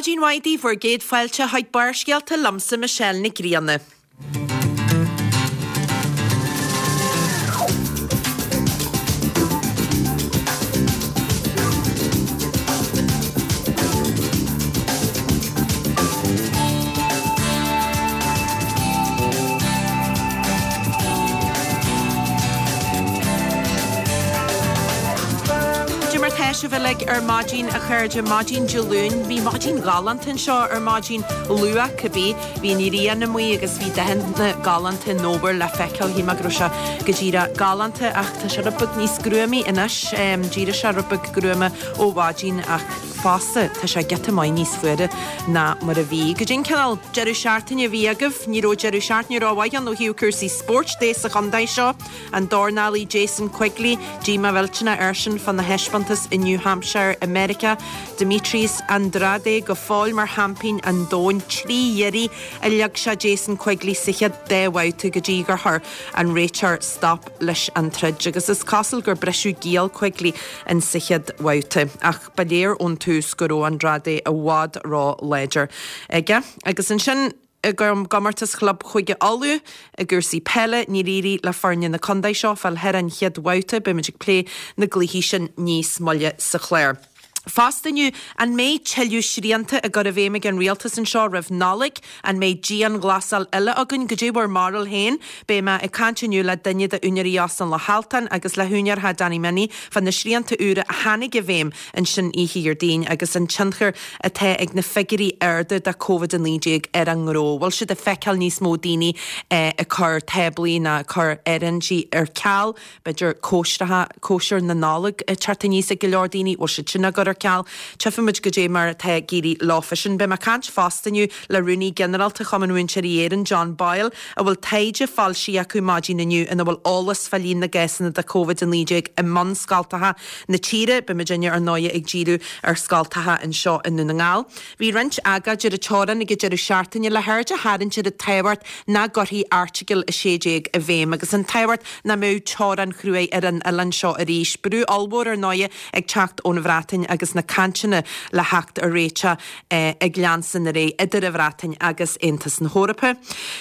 Maidin mhaith daoibh, bhur gcéad fáilte chuig Barrscéalta liomsa Michelle Nic Grianna. Cad é mar tá sibh uilig ar maidin, a chairde? Maidin Dé Luain. Bhí maidin ghalánta anseo ar maidin, luath cibé. Bhí an ghrian amuigh agus bhí dathanna galánta an fhómhair le feiceáil. Shíl mé go raibh sé go díreach galánta ach tá sé rud beag níos gruamaí anois. D'éirigh sé rud beag gruama ó mhaidin ach fosta tá sé giota maith níos fuaire ná mar a bhí. Goidé an cineál deireadh seachtaine a bhí agaibh? Ní raibh deireadh seachtaine rómhaith ann ó thaobh cúrsaí spóirt de sa chontae seo. An dornálaí Jason Quigley, díomá mhillteanach airsean fána thaispeántas i New Hampshire i Meiriceá. Demetrius Andrade go fóill mar sheaimpín an domhain. 3 iarraidh a leag sé Jason Quigley sa chéad dá bhabhta go dtí gur chuir an réiteoir stop leis an troid agus is cosúil gur briseadh giall Quigley in sa chéad bhabhta ach ba léir ón tús go raibh Andrade i bhfad ró-láidir aige. Agus ansin. I gcomórtas Chlub Chúige Uladh i gcúrsaí peile, níor éirigh le foirne na contae seo fáil thar an chéad bhabhta. Beidh muid ag plé na gcluichí sin níos moille sa chlár. Fosta inniu, an mbeidh tuilleadh srianta á gcur i bhfeidhm ag an rialtas anseo roimh Nollaig? An mbeidh dianghlasáil eile againn? Goidé bhur mbarúil féin? Beidh mé ag caint inniu le duine d'úinéirí Óstán Loch Altan agus le húinéir Theach Danny Minnie fá na srianta úra a tháinig i bhfeidhm ansin oíche Dhéardaoin agus an tionchar atá ag na figiúirí arda de Covid-19 ar an ngnó. Bhfuil siad ag feiceáil níos mó daoine ag cur táblaí ná ag cur áirithintí ar ceal? B'fhéidir cóisreacha, cóisir na Nollag ag teacht aníos ag go leor daoine, bhfuil siad sin á gcur ar ceal? Tchífimid goidé mar atá ag éirí leofa sin. Beidh mé ag caint fosta inniu le Rúnaí Ginearálta Chumann Mhúinteoirí Éireann, John Boyle, a bhfuil taighde foilsithe acu maidin inniu ina bhfuil eolas fá líon na gcásanna de Covid-19 i mbunscoltacha na tíre. Beidh muidinne ar ndóighe ag díriú ar scoltacha anseo i nDún na nGall. Bhí roinnt agóid ar an teorainn ag an deireadh seachtaine le haird a tharraingt ar an tábhacht nach gcuirfí Airteagal 16 i bhfeidhm agus an tábhacht nach mbeadh teorainn chruaidh ar an oileán seo arís. Brú ollmhór ar ndóighe ag teacht ón Bhreatain agus na cainteanna le theacht ar réiteach ag leanstan ar aghaidh idir an Bhreatain agus Aontas na hEorpa.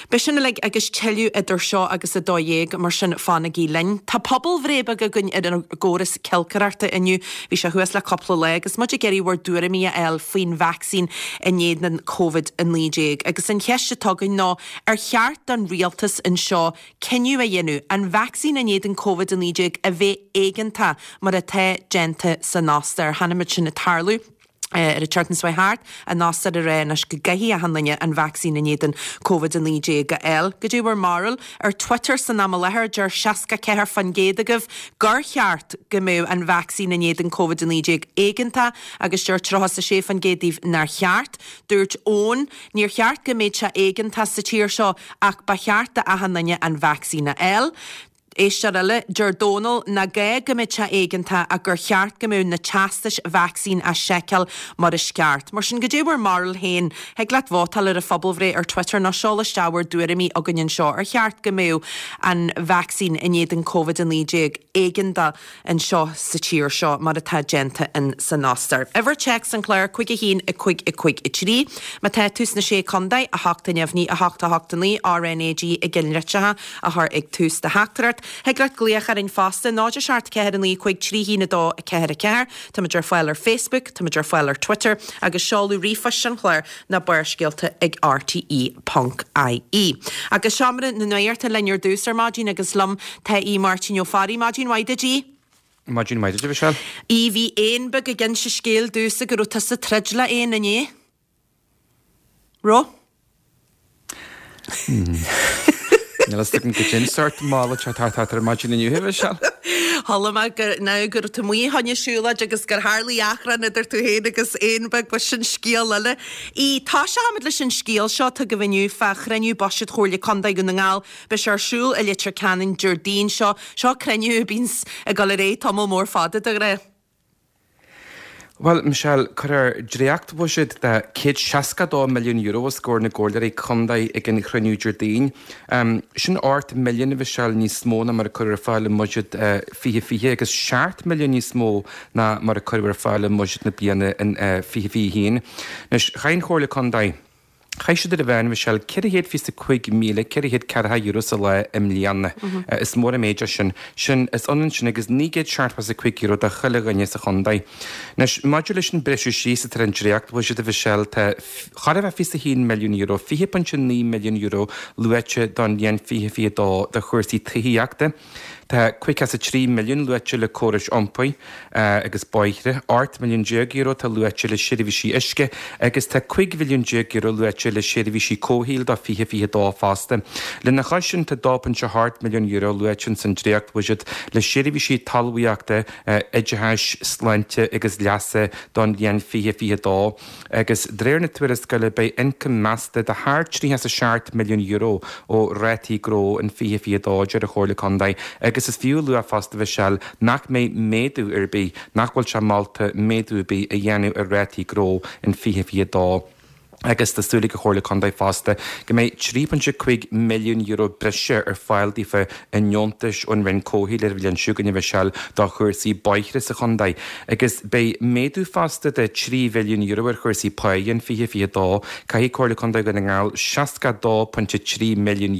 Beidh sin uilig agus tuilleadh idir seo agus 12, mar sin fanaigí linn. Tá pobalbhreith beag againn ar an gcóras cilcireachta inniu. Bhí sé thuas le cúpla lá agus muid ag iarraidh bhur dtuairimí a fháil faoin vacsaín in éadan Covid-19. Agus an cheist atá againn ná ar cheart don rialtas anseo cinneadh a dhéanamh an vacsaín in éadan Covid-19 a bheith éigeantach mar atá déanta san Ostair. Chonaic muid sin ag tarlú. Ar an tseachtain seo thart, an Ostair ag rá anois go gcaithfidh achan duine an vacsaín in éadan Covid-19 a fháil. Goidé bhur mbarúil? Ar Twitter san am i láthair, deir 64% agaibh gur cheart go mbeadh an vacsaín in éadan Covid-19 éigeantach agus deir 36% daoibh nár cheart. Dúirt Eoin, Níor cheart go mbeadh sé éigeantach sa tír seo ach ba cheart d'achan duine an vacsaín a fháil. Éisteoir eile, deir Dónal nach gá go mbeadh sé éigeantach ach gur cheart go mbeadh na teastais vacsaín á seiceáil mar is ceart. Mar sin, goidé bhur mbarúil féin? Thig leat vótáil ar an phobalbhreith ar Twitter nó seol isteach bhur dtuairimí chugainn anseo. Ar cheart go mbeadh an vacsaín in éadan Covid-19 éigeantach anseo sa tír seo mar atá déanta in san Ostair. Uimhir téacs an chláir, 5 1 5 5 3. Má tá tú sna Sé Contae, 8 neamhní 8 8 9 RNAG i gceannlitreacha a chur ag tús do theachtaireacht. Thig leat glaoch orainn fosta, 0 7 4 9 5 3 1 2 4 4. Táimid ar fáil ar Facebook, táimid ar fáil ar Twitter agus seoladh ríomhphoist an chláir ná Barrscéalta ag rte ponc ie. Agus Seomra na Nuachta linn ar dtús ar maidin agus liom tá Aodh Máirtín Ó Fearraigh. Maidin mhaith duit, Aodh. Maidin mhaith duit, a Mhichelle. Aodh, bhí éan beag ag inse scéil domhsa go raibh tusa ag troid le éan inné. Raibh? Níl a fhios agam goidé an sórt mála atá thart ar maidin inniu, a Mhichelle. Chuala mé go nó go raibh tú amuigh fá choinne siúlóid agus gur tharlaigh achrann idir tú féin agus éan beag, bhuel sin scéal eile. Aodh, toiseochaimid leis an scéal seo atá agaibh inniu fá chruinniú buiséid Chomhairle Contae Dhún na nGall. Beidh sé ar siúl i Leitir Ceanainn Déardaoin seo. Seo cruinniú a bhíonns ag dul ar aghaidh tamall mór fada de ghnáth. Bhuel, Michelle, cuirfear dréachtbhuiséad de €162 milliún os comhair na gcomhairleoirí contae ag an chruinniú Déardaoin. Sin 8 milliún, a Mhichelle, níos mó ná mar a cuireadh ar fáil i mbuiséad 2020 agus 7 milliún níos mó ná mar a cuireadh ar fáil i mbuiséad na bliana in 2021. Anois, chaith an Chomhairle Contae. Chaith siad ar an mheán, a Mhichelle, €425,440 sa lá i mbliana. Is mór an méid é sin. Sin, is ionann sin agus €975 do chuile dhuine sa chontae. Anois, maidir leis an briseadh síos atá ar an dréachtbhuiséad, a Mhichelle, tá chóir a bheith €21 milliún, €20.9 milliún luaite don bhliain 2022 do chúrsaí tithíochta. Tá 53 milliún luaite le córais iompair agus bóithre, 18 milliún euro atá luaite le seirbhísí uisce agus tá 15 mhilliún euro luaite le seirbhísí comhshaoil do 2022 fosta. Lena chois sin tá 2.8 milliún euro luaite ins an dréachtbhuiséad le seirbhísí talmhaíochta, oideachais, sláinte agus leasa don bhliain 2022. Agus de réir na tuarascála beidh ioncam measta de thar €37 milliún ó rátaí gnó in 2022, deir an Chomhairle Contae. Agus is fiú a lua fosta, a Mhichelle, nach mbeidh méadú ar bith, nach bhfuil sé molta méadú ar bith a dhéanamh ar rátaí gnó in 2022. Agus tá súil ag an Chomhairle Contae fosta go mbeidh €3.5 milliún breise ar fáil daofa i ndeontais ón Roinn Comhshaoil ar an bhliain seo chugainn, a Mhichelle, do chúrsaí bóithre sa chontae. Agus beidh méadú fosta de €3 mhilliún ar chúrsaí páighe in 2022. Caithfidh Comhairle Contae Dhún na nGall €62.3 milliún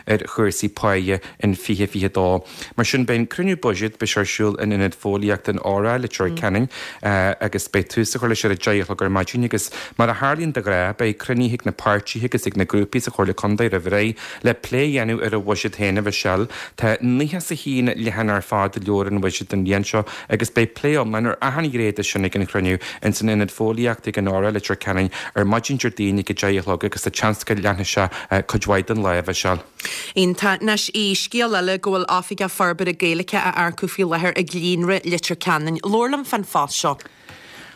ar chúrsaí páighe in 2022. Mar sin, beidh an cruinniú buiséid, beidh sé ar siúl in Ionad Fóillíochta an Óra, Leitir Ceanainn, agus beidh tús á chur leis ar a deich a chlog ar maidin agus mar a tharlaíonn de ghnáth, beidh cruinnithe ag na páirtithe agus ag na grúpaí sa Chomhairle Contae roimh ré Le plé a dhéanamh ar an bhuiséad féin, a Mhichelle, tá 91 leathanach ar fad i leabhar an bhuiséid don bhliain seo agus beidh plé iomlán ar achan ghné de sin ag an chruinniú ins an Ionad Fóillíochta ag an Óra, Leitir Ceanainn, ar maidin Déardaoin ag 10 a chlog agus tá seans go leanfaidh sé cuid mhaith den lá, a Mhichelle. Iontach. Anois, scéal eile go bhfuil Oifigeach Forbartha Gaeilge á earcú faoi láthair ag Líonra Leitir Ceanainn. Labhair liom fán phost seo.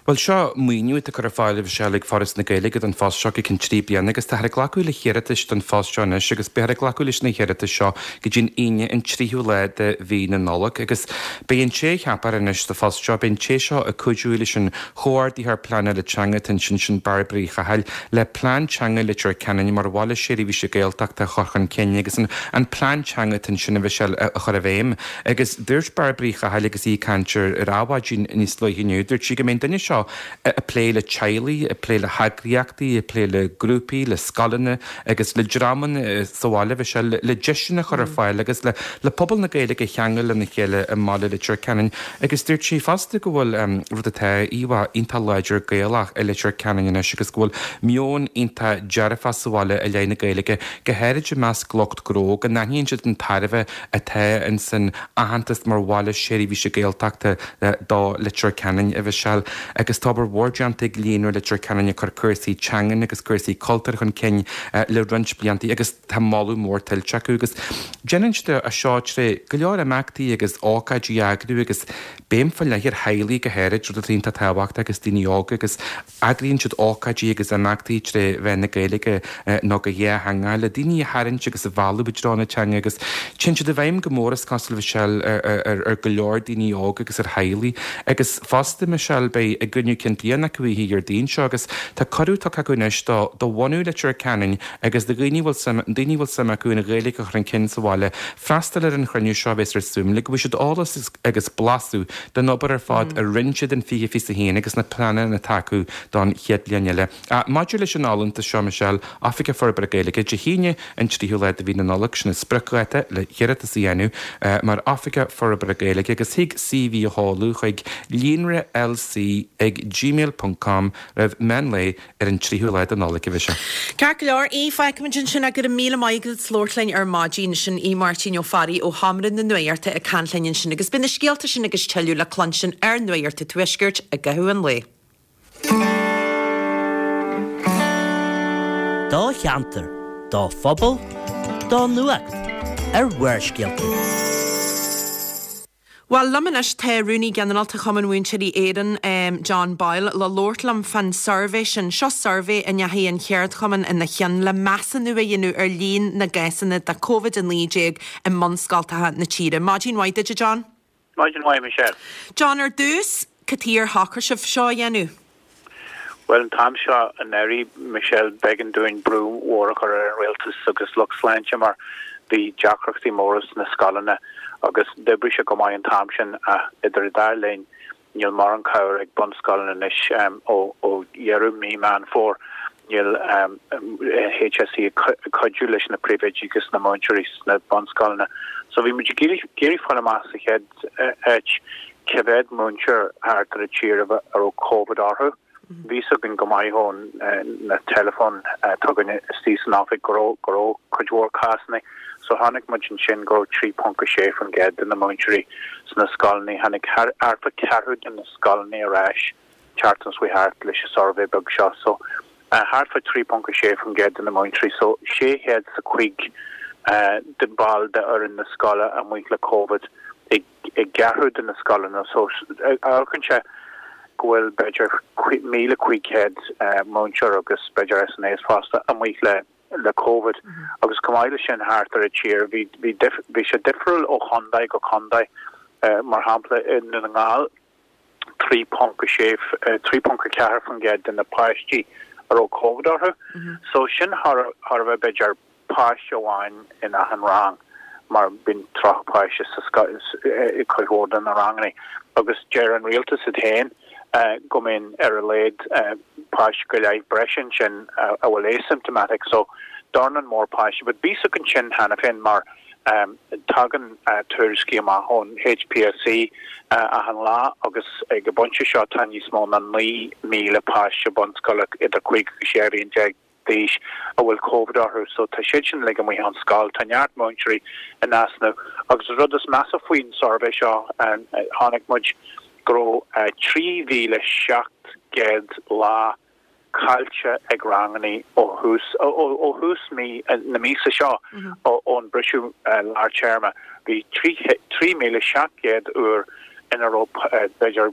Bhuel, seo maoiniú atá curtha ar fáil, a Mhichelle, ag Foras na Gaeilge don phost seo go ceann trí bliana agus táthar ag glacadh le hiarratais don phost seo anois agus beifear ag glacadh leis na hiarratais seo go dtí an Aoine an tríú lá de mhí na Nollag agus beidh an té a cheapfar anois sa phost seo, beidh an té seo ag cuidiú leis an Chomhordaitheoir Pleanála Teanga atá ansin, sin Bairbre Uí Chathail, le Plean Teanga Leitir Ceanainn mar bhaile seirbhíse Gaeltachta a chur chun cinn agus an plean teanga atá ansin, a Mhichelle, a chur i bhfeidhm. Agus dúirt Bairbre Uí Chathail agus í ag caint ar Adhmhaidin níos luaithe inniu, dúirt sí go mbeidh an duine seo ag plé le teaghlaigh, ag plé le heagraíochtaí, ag plé le grúpaí, le scoileanna agus le dreamanna sa bhaile, bhí sé le deiseanna a chur ar fáil agus le le pobal na Gaeilge a cheangal lena chéile i mbaile Leitir Ceanainn. Agus dúirt sí fosta go bhfuil rud atá íomhá iontach láidir Gaelach i Leitir Ceanainn anois agus go bhfuil meon iontach dearfach sa bhaile i leith na Gaeilge, go háirid i measc lucht gnó, go n-aithníonn siad an tairbhe atá ins an aitheantas mar bhaile seirbhíse Gaeltachta do Leitir Ceanainn, a Mhichelle, agus tá obair mhór déanta ag Líonra Leitir Ceanainn ag cur cúrsaí teangan agus cúrsaí cultúir chun cinn le roinnt blianta agus tá moladh mór tuillte acu agus déanann siad é seo tré go leor imeachtaí agus ócáidí a eagrú agus béim faoi leith ar theaghlaigh go háirid, rud atá iontach tábhachtach agus daoine óga agus Eagraíonn siad ócáidí agus imeachtaí tré mheán na Gaeilge nó go dhátheangach le daoine a tharraingt agus a mhealladh i dtreo na teanga agus téann siad i bhfeidhm go mór, is cosúil, Michelle, ar go leor daoine óga agus ar theaghlaigh. Agus fosta, Michelle, beidh a gcruinniú cinn bliana acu oíche Dhéardaoin seo agus tá cuireadh tugtha acu anois do do bhunadh Leitir Ceanainn agus do dhaoine a bhfuil suim daoine a bhfuil suim acu an Ghaeilge a chur chun cinn sa bhaile freastal ar an chruinniú seo a bheas ar Zoom le go bhfaighidh siad eolas agus blaiseadh den obair ar fad a rinne siad in 2021 agus na pleananna atá acu don chéad bhliain eile. Maidir leis an fholúntas seo, Michelle, Oifigeach Forbartha Gaeilge, Dé hAoine an tríú lá de mhí na Nollag, sin an spriocdháta le hiarratas a dhéanamh mar Oifigeach Forbartha Gaeilge agus thig CV a sheoladh chuig líonra lc ag gmail ponc com roimh meán lae ar an tríú lá de Nollaig, a Mhichelle. Ceart go leor, Aodh, fágfaimid ansin é. Go raibh míle maith agat as labhairt linn ar maidin. Sin Aodh Máirtín Ó Fearraigh ó Sheomra na Nuachta ag caint linn ansin agus beidh na scéalta sin agus tuilleadh le cluinstin ar Nuacht an Tuaiscirt i gcaitheamh an lae. Do cheantar, do phobal, do nuacht ar Bharrscéalta. Bhuel, liom anois tá Rúnaí Ginearálta Chumann Mhúinteoirí Éireann, John Boyle, le labhairt liom fán suirbhé sin. Seo suirbhé a ndeachaigh an cheardchumann ina chionn le measúnú a dhéanamh ar líon na gcásanna de Covid-19 i mbunscoltacha na tíre. Maidin mhaith duit, a John. Maidin mhaith, Michelle. John, ar dtús, Cad chuige ar shocraigh sibh seo a dhéanamh? Bhuel, an t-am seo anuraidh, Michelle, b'éigean dúinn brú mhór a chur ar an rialtas agus lucht sláinte mar bhí deacrachtaí móra sna scoileanna agus d'oibrigh sé go maith an t-am sin ach idir an dá linn níl mórán cabhair ag bunscoileanna anois ó dheireadh mí Meán Fómhair. Níl HSE ag cuidiú leis na príomhoidí agus na múinteoirí sna bunscoileanna. So bhí muid ag iarraidh fáil amach sa chéad áit cé mhéad múinteoir thart ar an tír a raibh Covid orthu. Bhí fhios againn go maith ón na teileafóin atá againn istigh san oifig go raibh go raibh cuid mhór cásanna. So chonaic muid ansin go raibh 3.6% de na múinteoirí sna scoileanna. Tháinig thart fá ceathrú de na scoileanna ar ais tseachtain seo chuaigh thart leis an suirbhé beag seo. So thart fá 3.6% de na múinteoirí, so 605 de ball de fhoireann na scoile amuigh le Covid i gceathrú de na scoileanna. So amharcann sé go bhfuil b'fhéidir 1,500 múinteoir agus b'fhéidir SNAs fosta amuigh le le Covid agus chomh maith leis sin thart ar an tír bhí bhí bhí sé difriúil ó chontae go contae. Mar shampla i nDún na nGall 3.6, 3.4% de na páistí a raibh Covid orthu. So sin chóir a bheith b'fhéidir páiste amháin in achan rang mar bíonn 30 páiste sa scoil i cuid mhór de na ranganna agus deir an rialtas iad féin go mbíonn ar a laghad páiste go leith breise ansin a bhfuil asymptomatic so dornán mór páistí but bhí fhios againn sin cheana féin mar Tagann tuairiscí amach ón HPSC achan lá agus ag an bpointe seo tá níos mó ná 9,000 páiste bunscoile idir 5 agus 16 bhliain d'aois a bhfuil Covid orthu so tá siad sin uilig amuigh ón scoil. Tá neart múinteoirí in easnamh agus an rud is measa faoin suirbhé seo, chonaic muid go raibh 3,700 lá caillte ag ranganna ó thús ó thús mí na míosa seo ón briseadh lár téarma. Bhí 3,700 uair ina raibh b'fhéidir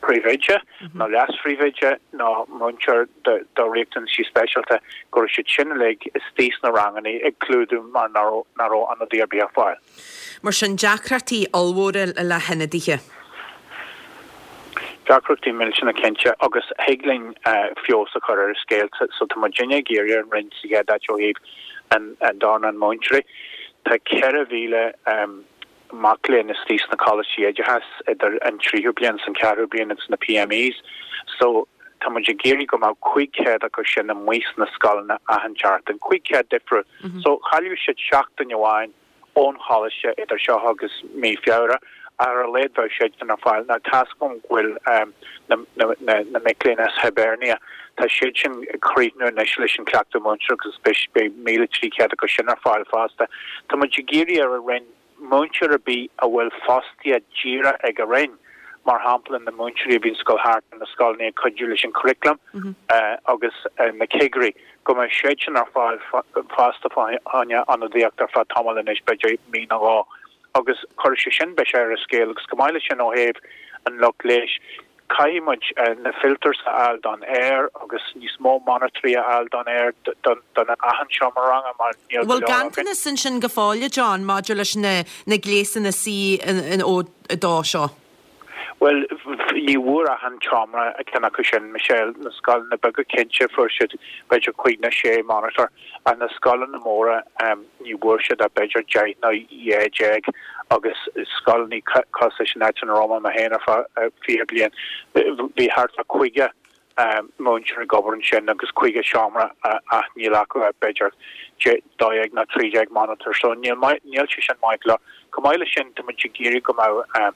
príomhoide nó leas-phríomhoide nó múinteoir do riachtanaisí speisialta go raibh siad sin uilig istigh sna ranganna ag clúdú mar nach raibh ionadaí ar bith ar fáil. Mar sin, deacrachtaí ollmhóra le hionadaithe. Deacrachtaí millteanna cinnte, agus thig linn feabhas a chur ar an scéal. So tá muidinne ag iarraidh ar an Roinn sa chéad áit ó thaobh an dornán múinteoirí. Tá 4,000 mac léinn istigh sna coláistí oideachais idir an tríú bliain is an ceathrú bliain agus na PMEs. So tá muid ag iarraidh go mbeadh 500 acu sin amuigh sna scoileanna achan tseachtain, 500 difriúil. So chaillfeadh siad seachtain amháin ón choláiste idir seo agus mí Feabhra, ach ar a laghad bheadh siad sin ar fáil. Now tá's agam go bhfuil na mic léinn as Hibernia, tá siad sin ag críochnú anois leis an cleachtadh múinteoireachta agus beidh 1,300 acu sin ar fáil fosta. Tá muid ag iarraidh ar an Roinn múinteoir ar bith a bhfuil fostaithe díreach ag an Roinn, mar shampla na múinteoirí a bhíonn ag gabháil thart ar na scoileanna ag cuidiú leis an churaclam agus na cigirí, go mbeidh siad sin ar fáil fosta fá choinne ionadaíocht ar feadh tamaill anois, b'fhéidir mí nó dhó, agus chuirfeadh sé sin biseach ar an scéal agus chomh maith leis sin ó thaobh an lucht leighis, caithfidh muid na filters a fháil don aer agus níos mó monitorí a fháil don aer don achan seomra ranga mar níl go leor againn. Bhfuil ganntanas ansin go fóill, a John, maidir leis na gléasanna CO2 seo? Bhuel, ní bhfuair achan tseomra ceann acu sin, Michelle. Na scoileanna beaga cinnte fuair siad b'fhéidir cúig nó sé monitor ach na scoileanna móra ní bhfuair siad ach b'fhéidir 10 nó 12 agus scoileanna cosúil leis an áit ina raibh mé féin ar feadh 20 bliain, bhí thart fá 50 múinteoir ag obair ansin agus 50 seomra ach níl acu ach b'fhéidir 12 nó 13 monitor so níl níl sé sin maith go leor. Chomh maith leis sin tá muid ag iarraidh go mbeadh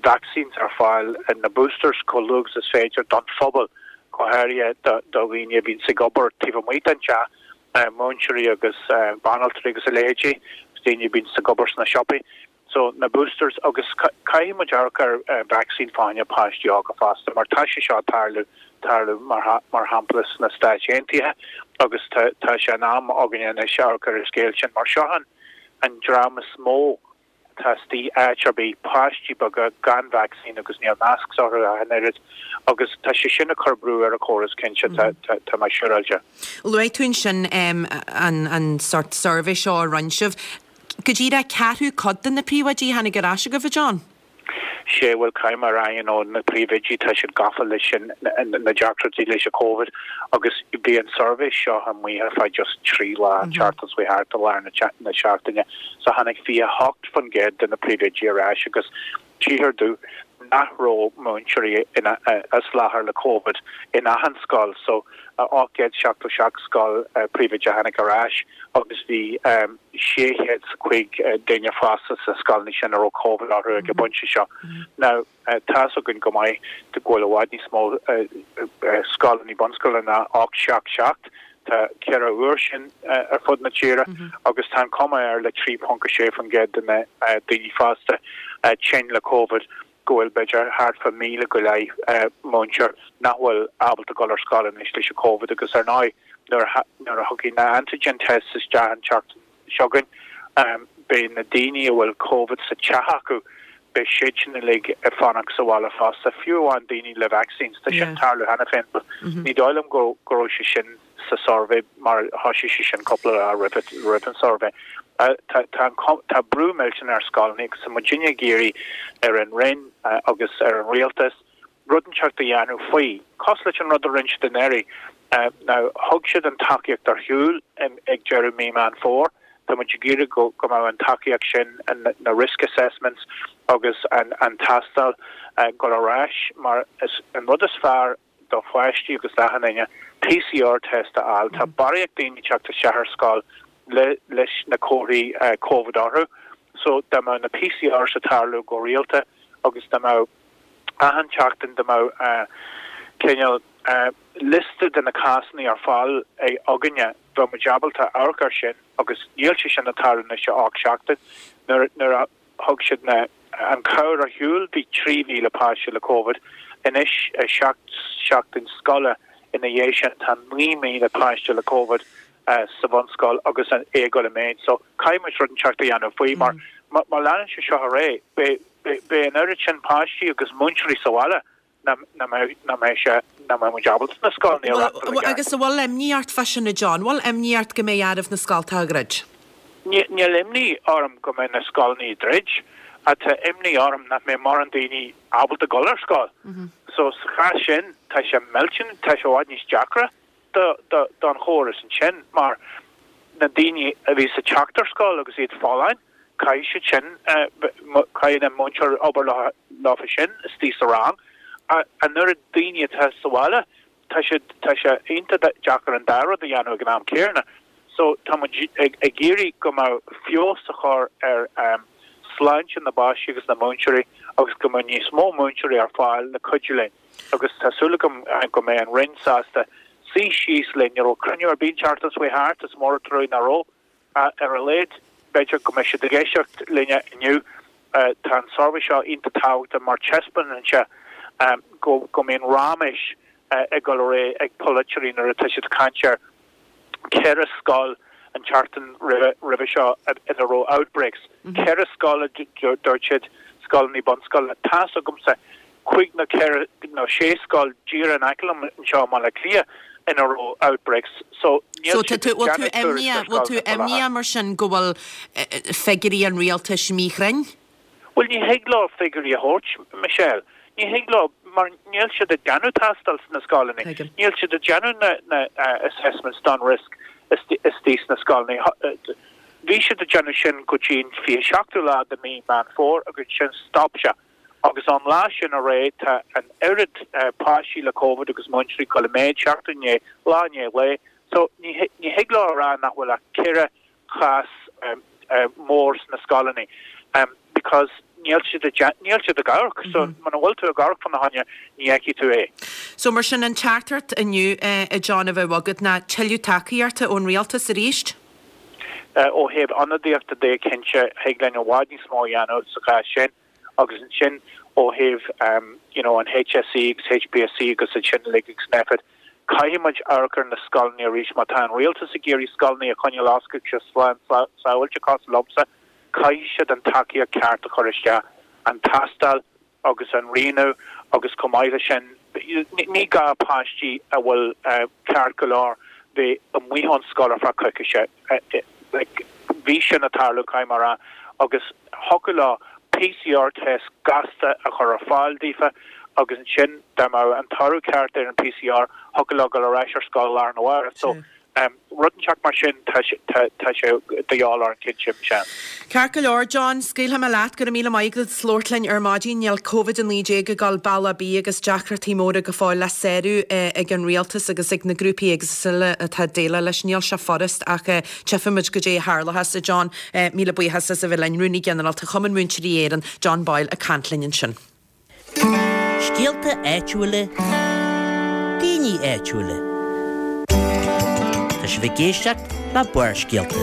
vaccines ar fáil, na boosters chomh luath agus is féidir don phobal, go háirithe do dhaoine a bhíonns ag obair taobh amuigh den teach, múinteoirí agus banaltraí agus a leithéidí, agus daoine a bhíonns ag obair sna siopaí. So, na boosters agus caithfidh muid amharc ar vaccine fá choinne páistí óga fosta mar tá sé seo ag tarlú, tarlú mar mar shampla sna Stáit Aontaithe agus tá tá sé in am againne anois amharc ar an scéal sin mar seo an an dream is mó atá istigh áit ar bith, páistí beaga gan vacsaín agus níl masks orthu ach an oiread agus tá sé sin ag cur brú ar an chóras cinnte, tá mé siúráilte. Luaigh tú ansin an sórt suirbhé seo a rinne sibh. Go díreach ceathrú cuid de na príomhoidí a tháinig ar ais agaibh, a John? Sé bhuel caithfidh mé a rá you know na príomhoidí tá siad gafa leis an na deacrachtaí leis an Covid agus bhí an suirbhé seo amuigh ar feadh just 3 lá an tseachtain seo thart i lár na seachtaine so tháinig 28% de na príomhoidí ar ais agus tchíthear domh nach raibh múinteoirí as láthair le Covid in achan scoil so 877 scoil príomhoide a tháinig ar ais agus bhí 605 duine fásta sna scoileanna sin a raibh Covid orthu ag an bpointe seo. Now tá's againn go maith go bhfuil i bhfad níos mó scoileanna bunscoile ná 877, tá 4 uair sin ar fud na tíre agus tá an chuma air le 3.6% de na daoine fásta tinn le Covid go bhfuil b'fhéidir thart fá 1,000 go leith múinteoir nach bhfuil ábalta dul ar scoil anois leis an Covid agus ar ndóigh nuair a nuair a thiocfaidh na antigen tests isteach an tseachtain seo chugainn beidh na daoine a bhfuil Covid sa teach acu beidh siad sin uilig ag fanacht sa bhaile fosta, fiú amháin daoine le vaccines. Tá sin ag tarlú cheana féin but ní dóigh liom go go raibh sé sin sa suirbhé mar thoisigh sé sin cúpla lá roimh an suirbhé. Tá brú millteanach ar scoileanna agus tá muidinne ag iarraidh ar an Roinn agus ar an Rialtas rud inteacht a dhéanamh faoi, cosúil leis an rud a rinne siad anuraidh. Now, thug siad an tacaíocht ar shiúl ag deireadh mí Meán Fómhair. Tá muid ag iarraidh go mbeadh an tacaíocht sin, na risk assessments agus an tástáil dul ar ais mar is an rud is fearr do pháistí agus d'achan duine PCR test a fháil. Tá barraíocht daoine ag teacht isteach ar scoil leis na comharthaí Covid orthu so dá mbeadh na PCRs ag tarlú go rialta agus dá mbeadh achan tseachtain dá mbeadh cineál liosta de na cásanna ar fáil againne bheadh muid ábalta amharc air sin agus níl sé sin ag tarlú anois le 8 seachtain nuair a Thug siad na an chabhair ar shiúl, bhí 3,000 páiste le Covid. Anois, 7 seachtain scoile ina dhiaidh sin, tá 9,000 páiste le Covid sa bhunscoil agus é ag dul i méid. So, caithfidh muid rud inteacht a dhéanamh faoi mar má leanann sé seo ar aghaidh, beidh an oiread sin páistí agus múinteoirí sa bhaile. nach mbeidh sé, nach mbeidh muid ábalta na scoileanna a reáchtáil i gceart. Agus an bhfuil imní ort fá sin, a John? Bhfuil imní ort go mbeidh oraibh na scoltacha a dhruid? Níl imní orm go mbeidh na scoileanna á ndruid, ach tá imní orm nach mbeidh mórán daoine ábalta dul ar scoil. So sa chás sin, tá sé millteanach, tá sé i bhfad níos deacra. don chóras ansin mar na daoine a bhí ag teacht ar scoil agus iad folláin, caithfidh siad sin, caithfidh an múinteoir obair leofa sin istigh sa rang. An oiread daoine atá sa bhaile, tá sé, tá sé iontach deacair an dá rud a dhéanamh ag an am céanna. So tá muid ag iarraidh go mbeadh feabhas a chur ar sláinte na bpáistí agus na múinteoirí agus go mbeadh níos mó múinteoirí ar fáil le cuidiú linn. agus tá súil agam go mbeidh an Roinn sásta suí síos linn. Ní raibh cruinniú ar bith an tseachtain seo chuaigh thart, is mór an trua nach raibh. Ar a laghad, b'fhéidir go mbeidh siad ag éisteacht linne inniu. Tá an suirbhé seo iontach tábhachtach mar taispeánann sé go mbíonn raiméis ag dul ar aghaidh ag polaiteoirí nuair atá siad ag caint ar 4 scoil an tseachtain roimhe seo ina raibh outbreaks. 4 scoil a dúirt siad, scoileanna bunscoile. Tá's agamsa cúig nó ceithre nó sé scoil díreach in aice liom anseo i mBaile Átha Cliath ina raibh outbreaks. So níl siad ag déanamh tuairisc ar scoileanna faoi láthair. Bhfuil tú imníoch mar sin go bhfuil figiúirí an rialtais míchruinn? Bhuel, ní thig leo figiúirí a thabhairt, Michelle. Ní thig leo, mar níl siad ag déanamh tástáil sna scoileanna. Níl siad ag déanamh na assessments don risk istigh sna scoileanna. Bhí siad ag déanamh sin go dtí an 27ú lá de mí Meán Fómhair agus ansin stop sé. Agus ón lá sin ar aghaidh tá an oiread páistí le Covid agus múinteoirí ag dul i méid seachtain i ndiaidh, lá i ndiaidh lae. So ní thig leo a rá nach bhfuil ach ceithre chás mór sna scoileanna because níl siad níl siad ag amharc so muna bhfuil tú ag amharc fána choinne ní fheicfidh tú é. So mar sin an teachtaireacht inniu a John a bheadh agat ná tuilleadh tacaíochta ón rialtas arís? Ó thaobh ionadaíochta de cinnte thig linn i bhfad níos mó a dhéanamh sa chás sin. Agus ansin ó thaobh you know an HSE agus HPSC agus iad sin uilig agus Nphet, caithfidh muid amharc ar na scoileanna arís. Má tá an rialtas ag iarraidh scoileanna a choinneáil oscailte slán sábháilte cosúil liomsa, caithfidh siad an tacaíocht ceart a chur isteach, an tástáil agus an rianú agus chomh maith leis sin, ní gá páistí a bhfuil ceart go leor bheith amuigh ón scoil ar feadh coicíse. Like, bhí sin ag tarlú, caithfidh mé a rá, agus thiocfadh leo. PCR test gasta a chur ar fáil daofa agus ansin dá mbeadh an toradh ceart ar an PCR thiocfadh leo dul ar ais ar scoil lá arna mhárach. So rud inteacht mar sin tá tá sé de dhíobháil orainn cinnte, Michelle. Ceart go leor, John, scaoilfidh mé leat. Go raibh míle maith agat as labhairt linn ar maidin. Níl Covid-19 ag dul bealach ar bith agus deacrachtaí móra go fóill le sárú ag an rialtas agus ag na grúpaí éagsúla atá ag déileáil leis. Níl sé furast ach tchífimid goidé a tharlóchas. A John, míle buíochas as a bheith linn. Rúnaí Ginearálta Chumann Múinteoirí Éireann, John Boyle ag caint linn ansin. Scéalta áitiúla, daoine áitiúla. Tá sibh ag éisteacht le Barrscéalta.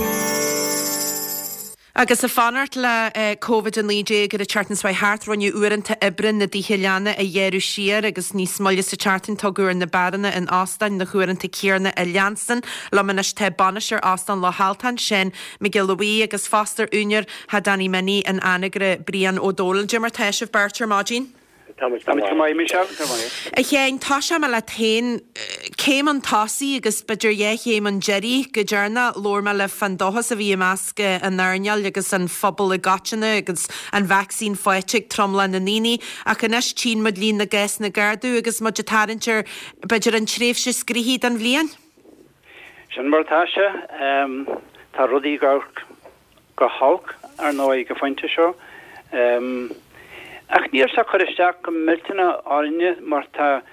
Agus ag fanacht le Covid-19 ar an tseachtain seo thart, rinneadh uaireanta oibre na dtithe leanna a ghearradh siar agus níos moille sa tseachtain tugadh ar na beáranna in óstáin na huaireanta céanna a leanstan. Liom anois tá bainisteoir Óstán Loch Altáin, Seán Mac Giolla Bhuí agus fosta úinéir Thigh Danny Minnie in Anagaire, Brian Ó Domhnaill. Dé mar tá sibh beirt ar maidin? Táimid go maith, Michelle. Go maith. A Sheáin, tosóidh mé leat féin. Céim chun tosaigh agus b'fhéidir dhá chéim chun deiridh go deireanach. Labhair mé libh fán dóchas a bhí i measc an earnáil agus an phobal i gcoitinne agus an vacsaín faighte ag tromlach na ndaoine. Ach anois tchíonn muid líon na gcásanna ag ardú agus muid ag tarraingt ar b'fhéidir an tréimhse is gnoithí den bhliain. Sin mar atá sé. Tá rudaí ag amharc go holc, ar ndóigh, ag an phointe seo. Ach níl sé ag cur isteach go millteanach orainne mar tá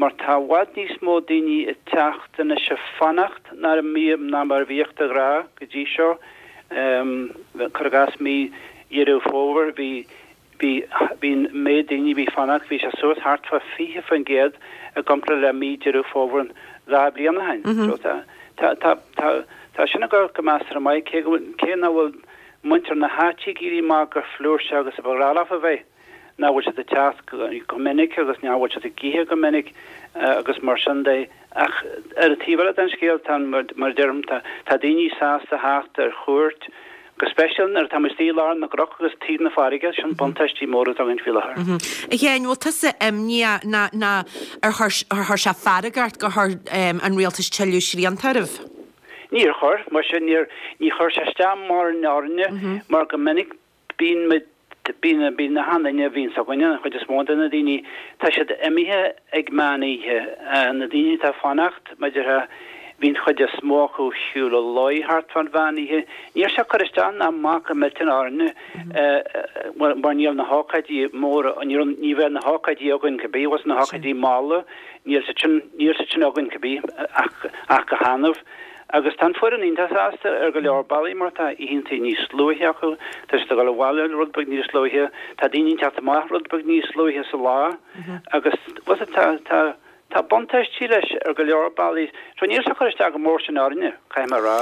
mar tá i bhfad níos mó daoine ag teacht anois ag fanacht ná ná mar a bhíodh de ghnáth go dtí seo. Cuir i gcás mí Dheireadh Fómhair bhí Bhí, bhí an méid daoine a bhí ag fanacht, bhí sé suas thart fá 20% i gcomparáid le mí Deireadh Fómhair 2 bliain ó shin. So tá, tá, tá, tá, tá sin ag dul go measartha maith, cé go bhfuil, cé nach bhfuil muintir na háite ag éirí amach go flúirseach agus a ba ghnách leofa bheith, nach bhfuil siad ag teacht go, go minic agus nach bhfuil siad ag ithe go minic agus mar sin de. Ach ar an taobh eile den scéal, tá, mar a deirim, tá, tá daoine sásta theacht ar chuairt, Go speisialta nuair atá muid istigh i lár na gcnoc agus taobh na farraige, sin buntáistí móra atá againn faoi láthair. A Sheáin, bhfuil tusa imníoch ná ná ar chuir ar chuir sé fearg ort gur chuir an rialtas tuilleadh srianta oraibh? Níor chuir, muise, níor, ní chuir sé isteach mórán orainne mar go minic bíonn muid, bíonn, bíonn achan duine a bhíonns againne, an chuid is mó de na daoine, tá siad imithe ag meán oíche. Na daoine atá ag fanacht, mar a déarfá, Bhí an chuid is mó acu ar shiúl a luí thart fán mheán oíche. Ní raibh sé ag cur isteach ná amach go millteanach orainne mar níl na hócáidí móra, ní raibh, ní bheadh na hócáidí againn cibé, bhfuil na hócáidí malla, níl siad sin, níl siad sin againn cibé ach, ach go hannamh. Agus tá an foireann iontach sásta ar go leor bealaí mar tá oícheanta níos luaithe acu, tá siad ag dul abhaile rud beag níos luaithe, tá daoine ag teacht amach rud beag níos luaithe sa lá agus, bhfuil tá, tá, Tá buntáistí leis ar go leor bealaí. So níl sé ag cur isteach go mór sin orainne, caithfidh mé a rá.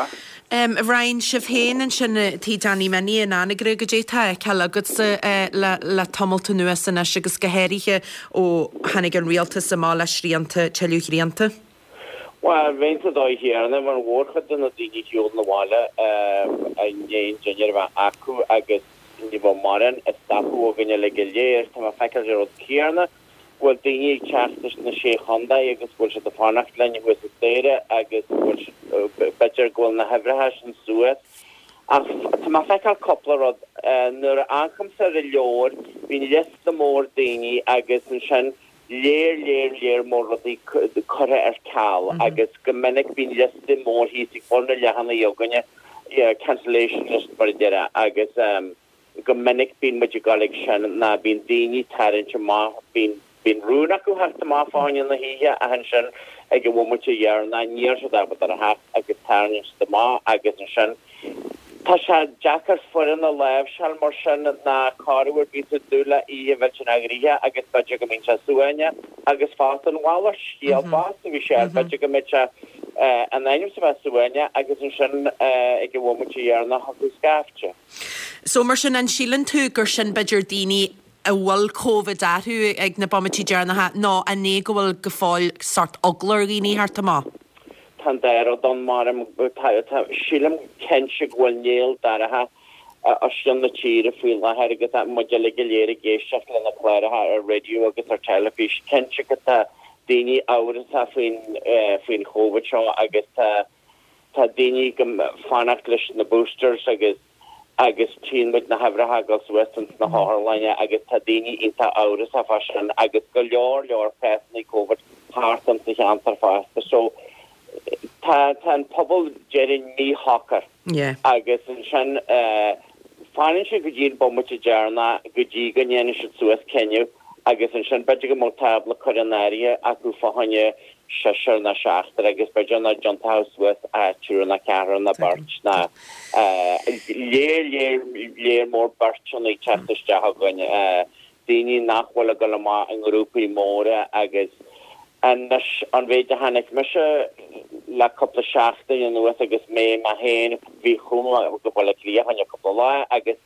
A Bhriain, sibh féin ansin i Tigh Danny Minnie in Anagaire, goidé atá á fheiceáil agatsa le le tamalt anuas anois agus go háirithe ó tháinig an rialtas amach le srianta, tuilleadh srianta? Bhuel, bheinn sa dóigh chéanna, mar an mhórchuid de na daoine a shiúlann abhaile i ndiaidh an dinnéar a bheith acu agus ní bheadh mórán ag stopadh againn uilig go léir, tá mé ag feiceáil an rud céanna. go bhfuil daoine ag teacht as na Sé Chontae agus go bhfuil siad ag fanacht linn thuas an staighre agus go bhfuil siad, b'fhéidir go bhfuil na huimhreacha sin suas. Ach tá mé ag feiceáil cúpla rud. Nuair a amharcaimse ar an leabhar, bíonn liosta mór daoine agus ansin léar, léar, léar mór rudaí curtha ar ceal agus go minic bíonn liosta mór thíos ag bun an leathanaigh againne, cancellation list mar a déarfá, agus. Go minic bíonn muid ag dul ag sin ná bíonn daoine ag tarraingt amach, bíonn, bíonn rún acu theacht amach fá choinne na hoíche ach ansin ag an bhomaite dheireanach níl siad ábalta a theacht agus tarraingíonn siad amach agus ansin tá sé deacair foireann a láimhseáil mar sin ná corruair bíonn tú ag dúil le oíche mhillteanach ghnoitheach agus b'fhéidir go mbíonn sé suaimhneach agus fosta an mhalairt scéal fosta bhí sé b'fhéidir go mbeidh sé in ainm is a bheith suaimhneach agus ansin ag an bhomaite dheireanach thiocfadh scaifte. So mar sin, an síleann tú gur sin b'fhéidir daoine a bhfuil Covid orthu ag na bomaití deireanacha nó an é go bhfuil go fóill sórt eagla ar dhaoine theacht amach? Tá an dá rud ann, mar tá, tá, sílim cinnte go bhfuil néal dorcha os cionn na tíre faoi láthair agus muid uilig go léir ag éisteacht le na cláracha ar raidió agus ar teilifís. Cinnte go tá daoine amhrasach faoin, faoin Chóvid seo agus tá, Tá daoine ag fanacht leis na boosters agus. Agus tchíonn muid na huimhreacha ag dul suas ins na hotharlanna agus tá daoine iontach amhrasach fá sin agus go leor leor cásanna Covid thart ins an cheantar fosta. So tá tá an pobal déarfainn míshocair. Yeah. Agus ansin eh fanann siad go dtí an bomaite deireanach go dtí go ndéanann siad suas cinneadh agus ansin b'fhéidir go mbeadh tábla curtha in áirithe acu fá choinne seisear nó seachtar agus b'fhéidir nach dtiontófá suas ach triúr nó ceathrar nó beirt nó léar léar léar mór beirteanna ag teacht isteach againn, daoine nach bhfuil ag dul amach i ngrúpaí móra agus anois an mhéid a chonaic mise le cúpla seachtain anuas agus mé mé féin bhí chuaigh mé go Baile Átha Cliath fá choinne cúpla lá agus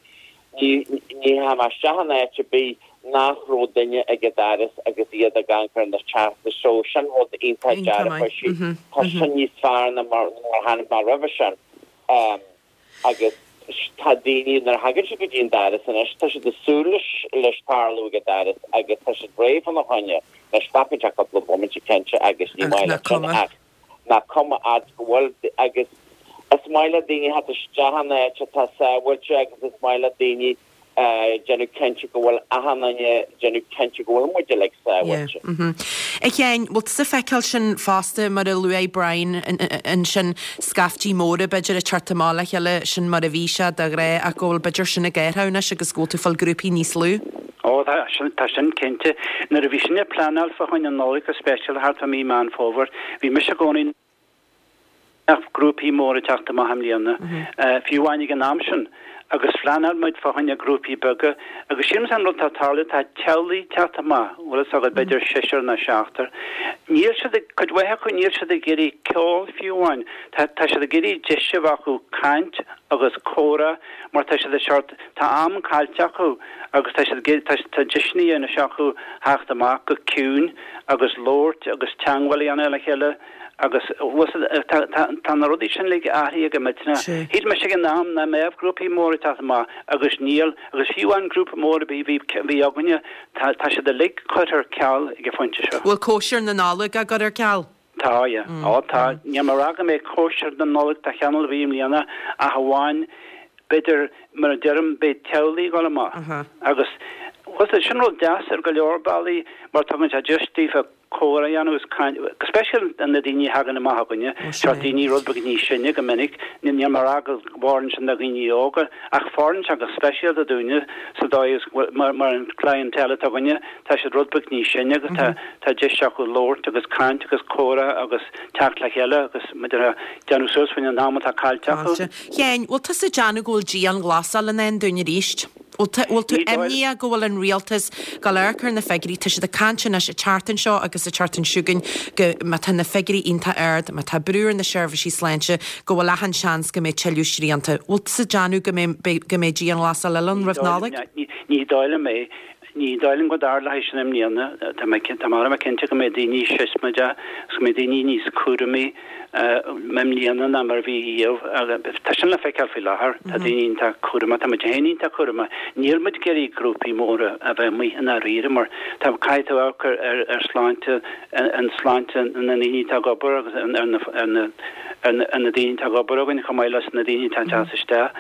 Ní ndeachaigh mé isteach in áit ar bith nach raibh duine ag an doras agus iad ag amharc ar na teastais so sin rud iontach dearfach. Tá sin níos fearr ná mar a chonaic mé roimhe sin. Agus tá daoine, nuair a thagann siad go dtí an doras anois, tá siad ag súil leis leis tarlú ag an doras agus tá siad réidh fána choinne. Anois glacann sé cúpla bomaite cinnte agus ní maith leat sin ach nach cuma fhad go bhfuil agus is maith le daoine theacht isteach in áit atá sábháilte agus is maith le daoine déanamh cinnte go bhfuil achan duine déanamh cinnte go bhfuil muid uilig sábháilte. A Sheáin, bhfuil tusa ag feiceáil sin fosta mar a luaigh Brian ansin, scaiftí móra b'fhéidir ag teacht amach le chéile, sin mar a bhí sé de ghnáth ach go bhfuil b'fhéidir sin ag athrú anois agus go bhfuil tú ag fáil grúpaí níos lú? Ó tá sin, tá sin cinnte. Nuair a bhí sinne ag pleanáil fá choinne an Nollaig go speisialta thart fá mí Meán Fómhair, bhí mise i gcónaí nach mbeadh grúpaí móra ag teacht amach i mbliana, fiú amháin ag an am sin, agus phleanáil muid fá choinne grúpaí beaga. Agus sílim an rud atá ag tarlú, tá teaghlaigh ag teacht amach, bhfuil fhios agat, b'fhéidir seisear nó seachtar. Níl siad ag, cuid mhaith acu, níl siad ag iarraidh ceol fiú amháin. Tá, tá siad ag iarraidh deis a bheith acu caint agus comhrá mar tá siad ag seort, tá am caillte acu. agus tá siad ag, tá, tá deiseanna anois acu theacht amach go ciúin agus labhairt agus teangmháil a dhéanamh le chéile agus bhfuil fhios agat, tá, tá, tá na rudaí sin uilig athraithe go millteanach. Sea. Shíl mise ag an am nach mbeadh grúpaí móra ag teacht amach agus níl, agus fiú an grúpa mór a bhí, bhí, bhí againne, tá, tá siad uilig curtha ar ceal ag an phointe seo. Bhfuil cóisir na Nollag á gcur ar ceal? Tá, yeah. Ó, tá. Níl mé ag rá go mbeidh cóisir na Nollag de chineál ar bith i mbliana ach amháin, b'fhéidir, mar a deirim, beidh teaghlaigh ag dul amach. Agus, bhfuil fhios agat, sin rud deas ar go leor bealaí mar tugann sé deis daofa comhrá a dhéanamh agus caint, go speisialta na daoine a thagann amach chugainne, seo daoine rud beag níos sine go minic, níl mé ag rá go bhfóireann sin do dhaoine óga ach fóireann sé go speisialta dúinne sa dóigh is go bhfuil, mar, mar an clientele atá againne, Tá siad rud beag níos sine agus tá tá deis acu labhairt agus caint agus comhrá agus teacht le chéile agus maidir le déanamh suas faoin an am atá caillte acu. Caillte. Sheáin, bhfuil tusa ag déanamh go bhfuil dianghlasáil i ndán dúinn arís? Bhfuil tú bhfuil tú imníoch go bhfuil an rialtas ag dul amharc ar na figiúirí, tá siad ag caint anois an tseachtain seo agus an tseachtain seo chugainn go má tá na figiúirí iontach ard, má tá brú ar na seirbhísí sláinte, go bhfuil achan seans go mbeidh tuilleadh srianta. Bhfuil tusa ag déanamh go mbeidh go mbeidh dianghlasáil eile ann roimh Nollaig? Ní dóigh liom é. Ní dóigh liom go dtarlóidh sin i mbliana. Tá mé tá mé cinnte go mbeidh daoine siosmaideach agus go mbeidh daoine níos cúramaí i mbliana ná mar a bhí riamh. Tá sin le feiceáil faoi láthair. Tá daoine iontach cúramach. Tá muid féin iontach cúramach. Níl muid ag iarraidh grúpaí móra a bheith amuigh i ndáiríre mar tá caithfidh tú amharc ar ar ar sláinte an sláinte na ndaoine atá ag obair agus ar na ar na ar na daoine atá ag obair againn chomh maith leis na daoine atá ag teacht isteach.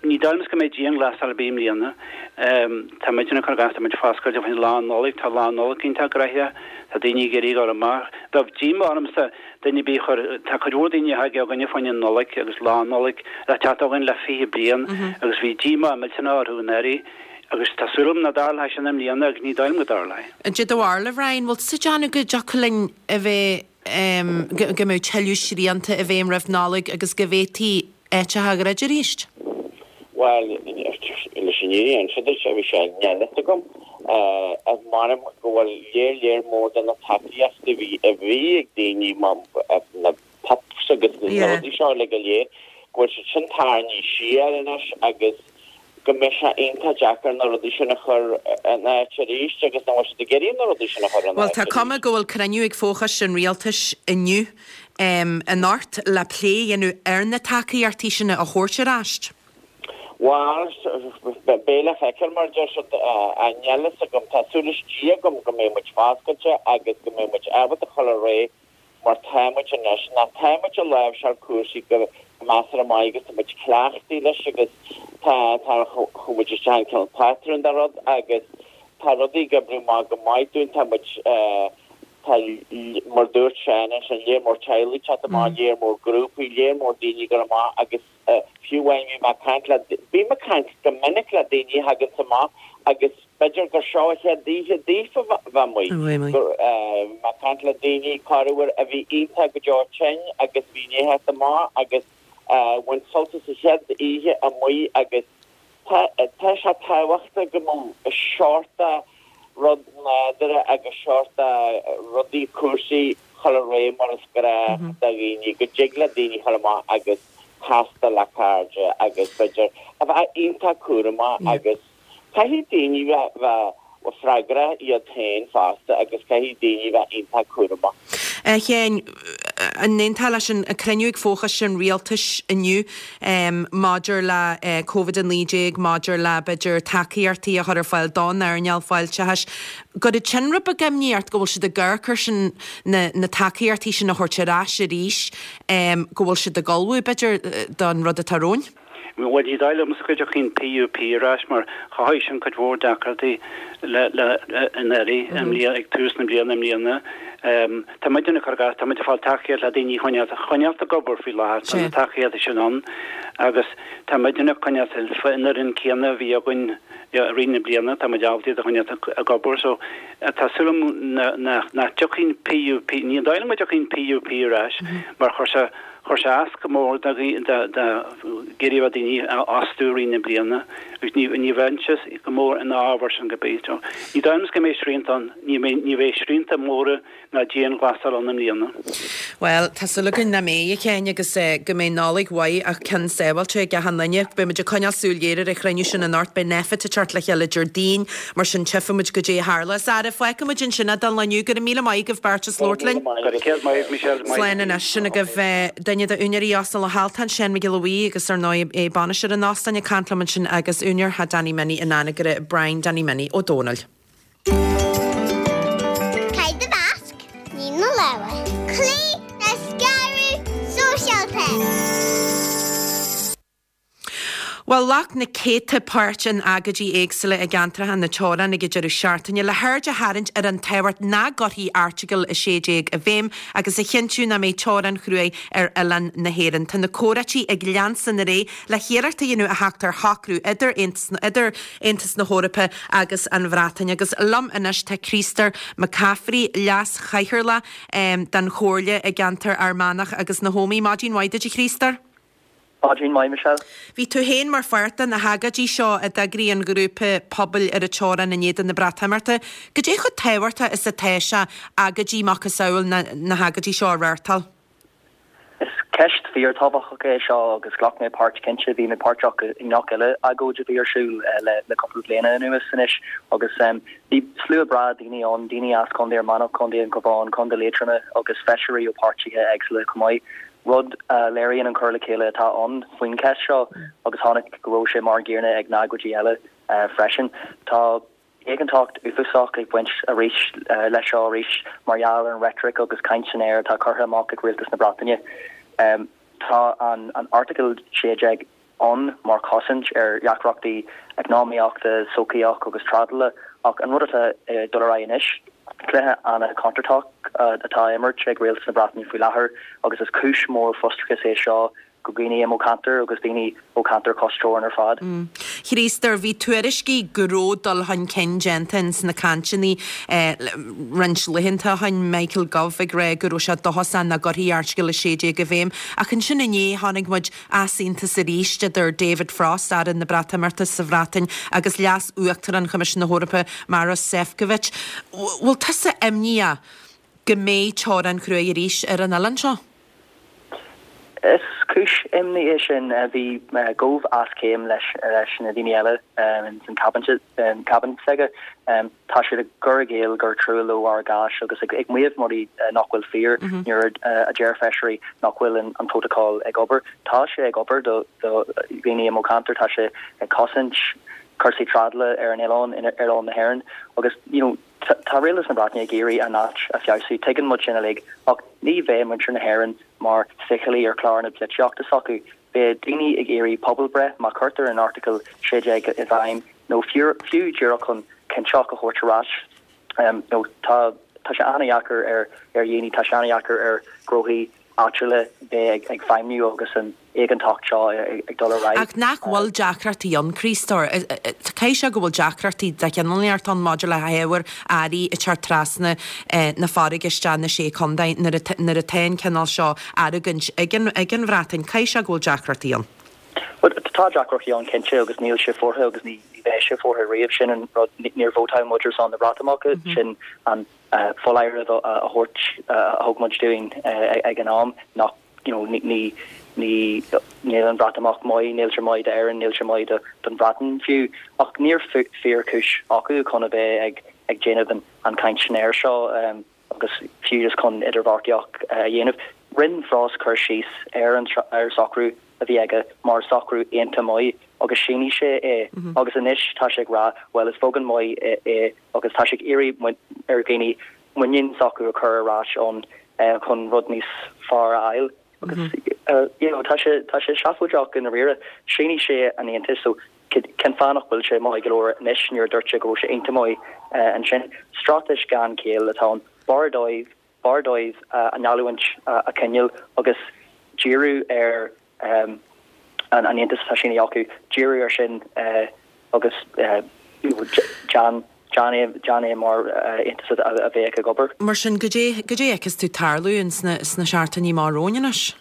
Ní dóigh liom go mbeidh dianghlasáil ar bith i mbliana. Tá muidne ag cur gach, tá muid foscailte fá choinne Lá Nollag, tá Lá Nollag iontach graitheach, tá daoine ag iarraidh dul amach. Bheadh díomá ormsa duine ar bith a chur, tá cuid mhór daoine a thig chugainne fá choinne Nollaig agus Lá Nollag le teacht chugainn le 20 bliain agus bhí díomá millteanach orthu anuraidh agus tá súil agam nach dtarlóidh sin i mbliana agus ní dóigh liom go dtarlóidh. Cad é do bharúil, a Bhrian, bhfuil tusa ag déanamh go dtiocfadh linn a bheith, go mbeidh tuilleadh srianta i bhfeidhm roimh Nollaig agus go bhféadfaí áiteacha a dhruid arís? Bhuel, leis an fhírinne a inse duit, bhí sé níl a fhios agam. M'anam go bhfuil léar léar mór de na tacaíochtaí a bhí a bhí ag daoine, na PUPs agus na rudaí seo uilig go léir, go bhfuil siad sin tarraingthe siar anois agus go mbeidh sé iontach deacair na rudaí sin a chur in áit arís agus nach bhfuil siad ag iarraidh na rudaí sin a chur in Bhuel, áit tá cuma arís. go bhfuil cruinniú ag fochoiste an Rialtais inniu anocht le plé a dhéanamh ar na tacaíochtaí sin a thabhairt ar ais. Bhuel, beidh le feiceáil mar a deir siad, níl a fhios agam. Tá súil istigh agam go mbeidh muid foscailte agus go mbeidh muid ábalta dul ar aghaidh. mar tá muid anois, ná tá muid ag láimhseáil cúrsaí go measartha maith agus tá muid cleachtaithe leis agus tá, tá, chuaigh muid isteach in cineál patrún de rud agus tá rudaí ag oibriú amach go maith dúinn, tá muid, tá, mar dúirt Seán ansin, léar mór teaghlaigh ag teacht amach, léar mór grúpaí, léar mór daoine ag dul amach agus. Fiú amháin bhí mé ag caint le, bím ag caint go minic le daoine a thaganns amach agus b'fhéidir gur seo a chéad oíche daofa bheith amuigh. Go, bhí mé ag caint le daoine corruair a bhí iontach go deo tinn agus bhí i ndiaidh theacht amach agus bhain sult as a chéad oíche amuigh agus Tá sé tábhachtach go mbeadh seort de rud nádúrtha agus seort de rudaí, cúrsaí chur ar aghaidh mar is gnách do dhaoine, go dtig le daoine chur amach agus castáil le cairde agus b'fhéidir a bheith iontach cúramach agus caithfidh daoine bheith freagrach iad féin fosta agus caithfidh daoine bheith iontach cúramach. A Sheáin, an aontófá leis an cruinniú ag Fóchoiste an Rialtais inniu maidir le Covid-19, maidir le, b'fhéidir, tacaíochtaí a chur ar fáil don earnáil fáilteachais, go raibh sin rud beag imní ort go bhfuil siad ag amharc air sin, na tacaíochtaí sin a thabhairt ar ais arís, go bhfuil siad ag ullmhú, b'fhéidir, don rud atá romhainn? Bhuel, ní dóigh liomsa go dtiocfaidh an PUP ar ais mar chothaigh sin cuid mhór deacrachtaí le le anuraidh, i mbliana, ag tús na bliana i mbliana. Tá muid ag cur tá muid ag fáil tacaíocht le daoine a choinneáil choinneáil ag obair faoi láthair, tá na tacaíochtaí sin ann agus tá muid ag coinneáil an fhoireann céanna a bhí againn i rith na bliana, tá muid ábalta iad a choinneáil ag obair so tá súil agam nach dtiocfaidh an PUP, ní dóigh liom go dtiocfaidh an PUP ar ais mar chuir sé Chuir sé as go mór do ag iarraidh daoine a fhostú i rith na bliana agus ní ní bheinnse go mór ina fhábhar sin go bith. Ní dóigh liom go mbeidh srianta ann, ní ní bheidh srianta móra ná dianghlasáil ann i mbliana. Bhuel, tá súil againn nach mbeidh, a Sheáin, agus go mbeidh Nollaig mhaith ach ceann sábháilte ag achan duine. Beidh muid ag coinneáil súil ghéar ar an chruinniú sin anocht. Beidh Nphet ag teacht le chéile Déardaoin, mar sin tchífidh muid goidé a tharlós. Ara, fágfaidh muid ansin é don lá inniu. Go raibh míle maith agaibh beirt as labhairt linn. Go raibh céad maith agat, Michelle. Slán anois. Sin agaibh duine d'úinéirí Óstán Loch Altan, Seán Mac Giolla Bhuí, agus ar ndóigh bainisteoir an óstáin ag caint liom ansin agus úinéir Theach Danny Minnie in Anagaire, Brian Danny Minnie Ó Dónaill. Caith do mhasc, nigh na lámha. Cloígh le scaradh sóisialta. Bhuel, ghlac na céadta páirt in agóidí éagsúla i gceantracha na teorann ag an deireadh seachtaine le haird a tharraingt ar an tábhacht nach gcuirfí Airteagal 16 i bhfeidhm agus a chinntiú nach mbeidh teorainn chruaidh ar oileán na hÉireann. Tá na comhráití ag leanstan ar aghaidh le hiarracht a dhéanamh a theacht ar shocrú idir idir Aontas na hEorpa agus an Bhreatain. Agus liom anois tá Críostóir McCaffrey, Leas-Chathaoirleach den Chomhairle i gceantar Fhear Manach agus na hÓmaí. Maidin mhaith duit a Chríostóir. Maidin mhaith, Michelle. Bhí tú féin mar pháirt de na hagóidí seo a d'eagraigh an ghrúpa pobail ar an teorainn in éadan na Breatimeachta. Goidé chomh tábhachtach is atá sé agóidí macasamhail na na hagóidí seo a reáchtáil? Is ceist fíortábhachtach é seo agus ghlac mé páirt cinnte. Bhí mé páirteach i ngach uile agóid a bhí ar siúl le cúpla bliana anuas anois agus bhí slua breá daoine ann, daoine as Contae Fhear Manach, Contae an Chabháin, Contae Liatroma agus feisirí ó páirtithe éagsúla chomh maith. rud a léiríonn an cur le chéile atá ann faoin cheist seo agus chonaic go raibh sé mar an gcéanna ag na agóidí eile freisin. Tá éiginnteacht uafásach ag baint arís leis seo arís mar gheall ar an reitric agus caint san aer atá curtha amach ag rialtas na Breataine. Tá an Airteagal 16 ann mar chosaint ar dheacrachtaí eacnamaíochta, sochaíoch agus trádála ach an rud atá ag dul ar aghaidh anois, cluiche an-chontúirteach atá á imirt ag rialtas na Breataine faoi láthair agus is cúis mhór frustrachais é seo go dhaoine i mo cheantar agus daoine ó cheantair cois teorann ar fad. Chríostóir, bhí tuairiscí go raibh dul chun cinn déanta ins na cainteanna roinnt laethanta ó shin, Michael Gove ag rá go raibh sé dóchasach nach gcuirfí Airteagal 16 i bhfeidhm ach ansin inné chonaic muid easaontas arís idir David Frost, Aire na Breatimeachta sa Bhreatain, agus Leas-Uachtarán Choimisiún na hEorpa, Maros Sefcovic. Bhfuil tusa imníoch go mbeidh teorainn chruaidh arís ar an oileán seo? Is cúis imní é sin. Bhí Gove as céim leis na daoine eile ins an cabinet s'aige. Tá siad ag cur i gcéill gur trua leo ár gcás agus ag maíomh rudaí nach bhfuil fíor nuair a deir feisirí nach bhfuil an prótacal ag obair. Tá sé ag obair do dhaoine i mo cheantar, tá sé ag cosaint cúrsaí trádála ar an oileán, ar oileán na hÉireann agus you know. Tá Rialtas na Breataine ag iarraidh a n-áit a feabhsú, tuigeann muid sin uilig, ach ní bheidh muintir na hÉireann mar fichillí ar chlár na polaitíochta s'acu. Beidh daoine ag iarraidh pobalbhreith má chuirtear an Airteagal 16 i bhfeidhm, nó fiú díreach chun cinnteacht a thabhairt ar ais. Nó tá tá sé an-dheacair ar ar dhaoine, tá sé an-dheacair ar ghnóthaí áitiúla bheith ag feidhmiú agus an éiginnteacht seo ag dul ar aghaidh. Ach nach bhfuil deacrachtaí ann, Críostóir? Caithfidh sé go bhfuil deacrachtaí de chineál inteacht ann maidir le hábhair, earraí ag teacht trasna na farraige isteach na Sé Chontae nuair atá an cineál seo argóint ag an Bhreatain. Caithfidh sé go bhfuil deacrachtaí ann. Bhuel, tá deacrachtaí ann cinnte agus níl sé foirfe agus ní bheidh sé foirfe riamh. Sin an rud, níor vótáil muid ar son na Breatimeachta, sin an foláireamh a thabhairt a thug muid dúinn ag an am nach you know ní ní níl an Bhreatimeacht maith, níl sé maith d'Éirinn, níl sé maith do don Bhreatain fiú. Ach níl fíorchúis acu chun a bheith ag ag déanamh an an chaint san aer seo agus fiú just chun idirbheartaíocht a dhéanamh. Rinne Frost cur síos ar an ar socrú a bhí aige mar socrú iontach maith agus shínigh sé é agus anois tá sé ag rá bhuel is beagán maith é agus tá sé ag iarraidh ar dhaoine muinín s'acu a chur ar ais ann chun rud níos fearr a fháil agus you know tá sé tá sé seafóideach i ndáiríre. Shínigh sé an aontas so cén fáth nach bhfuil sé maith go leor anois nuair a dúirt sé go raibh sé iontach maith ansin. Straitéis gan chéill atá ann. B'fhearr dóibh b'fhearr dóibh a ngeallúint a choinneáil agus díriú ar an aontas atá sínithe acu, díriú air sin agus déan déan é mar aontas a bheadh ag obair. Mar sin, goidé goidé a fheiceas tú tarlú ins na sna seachtainí amach romhainn anois?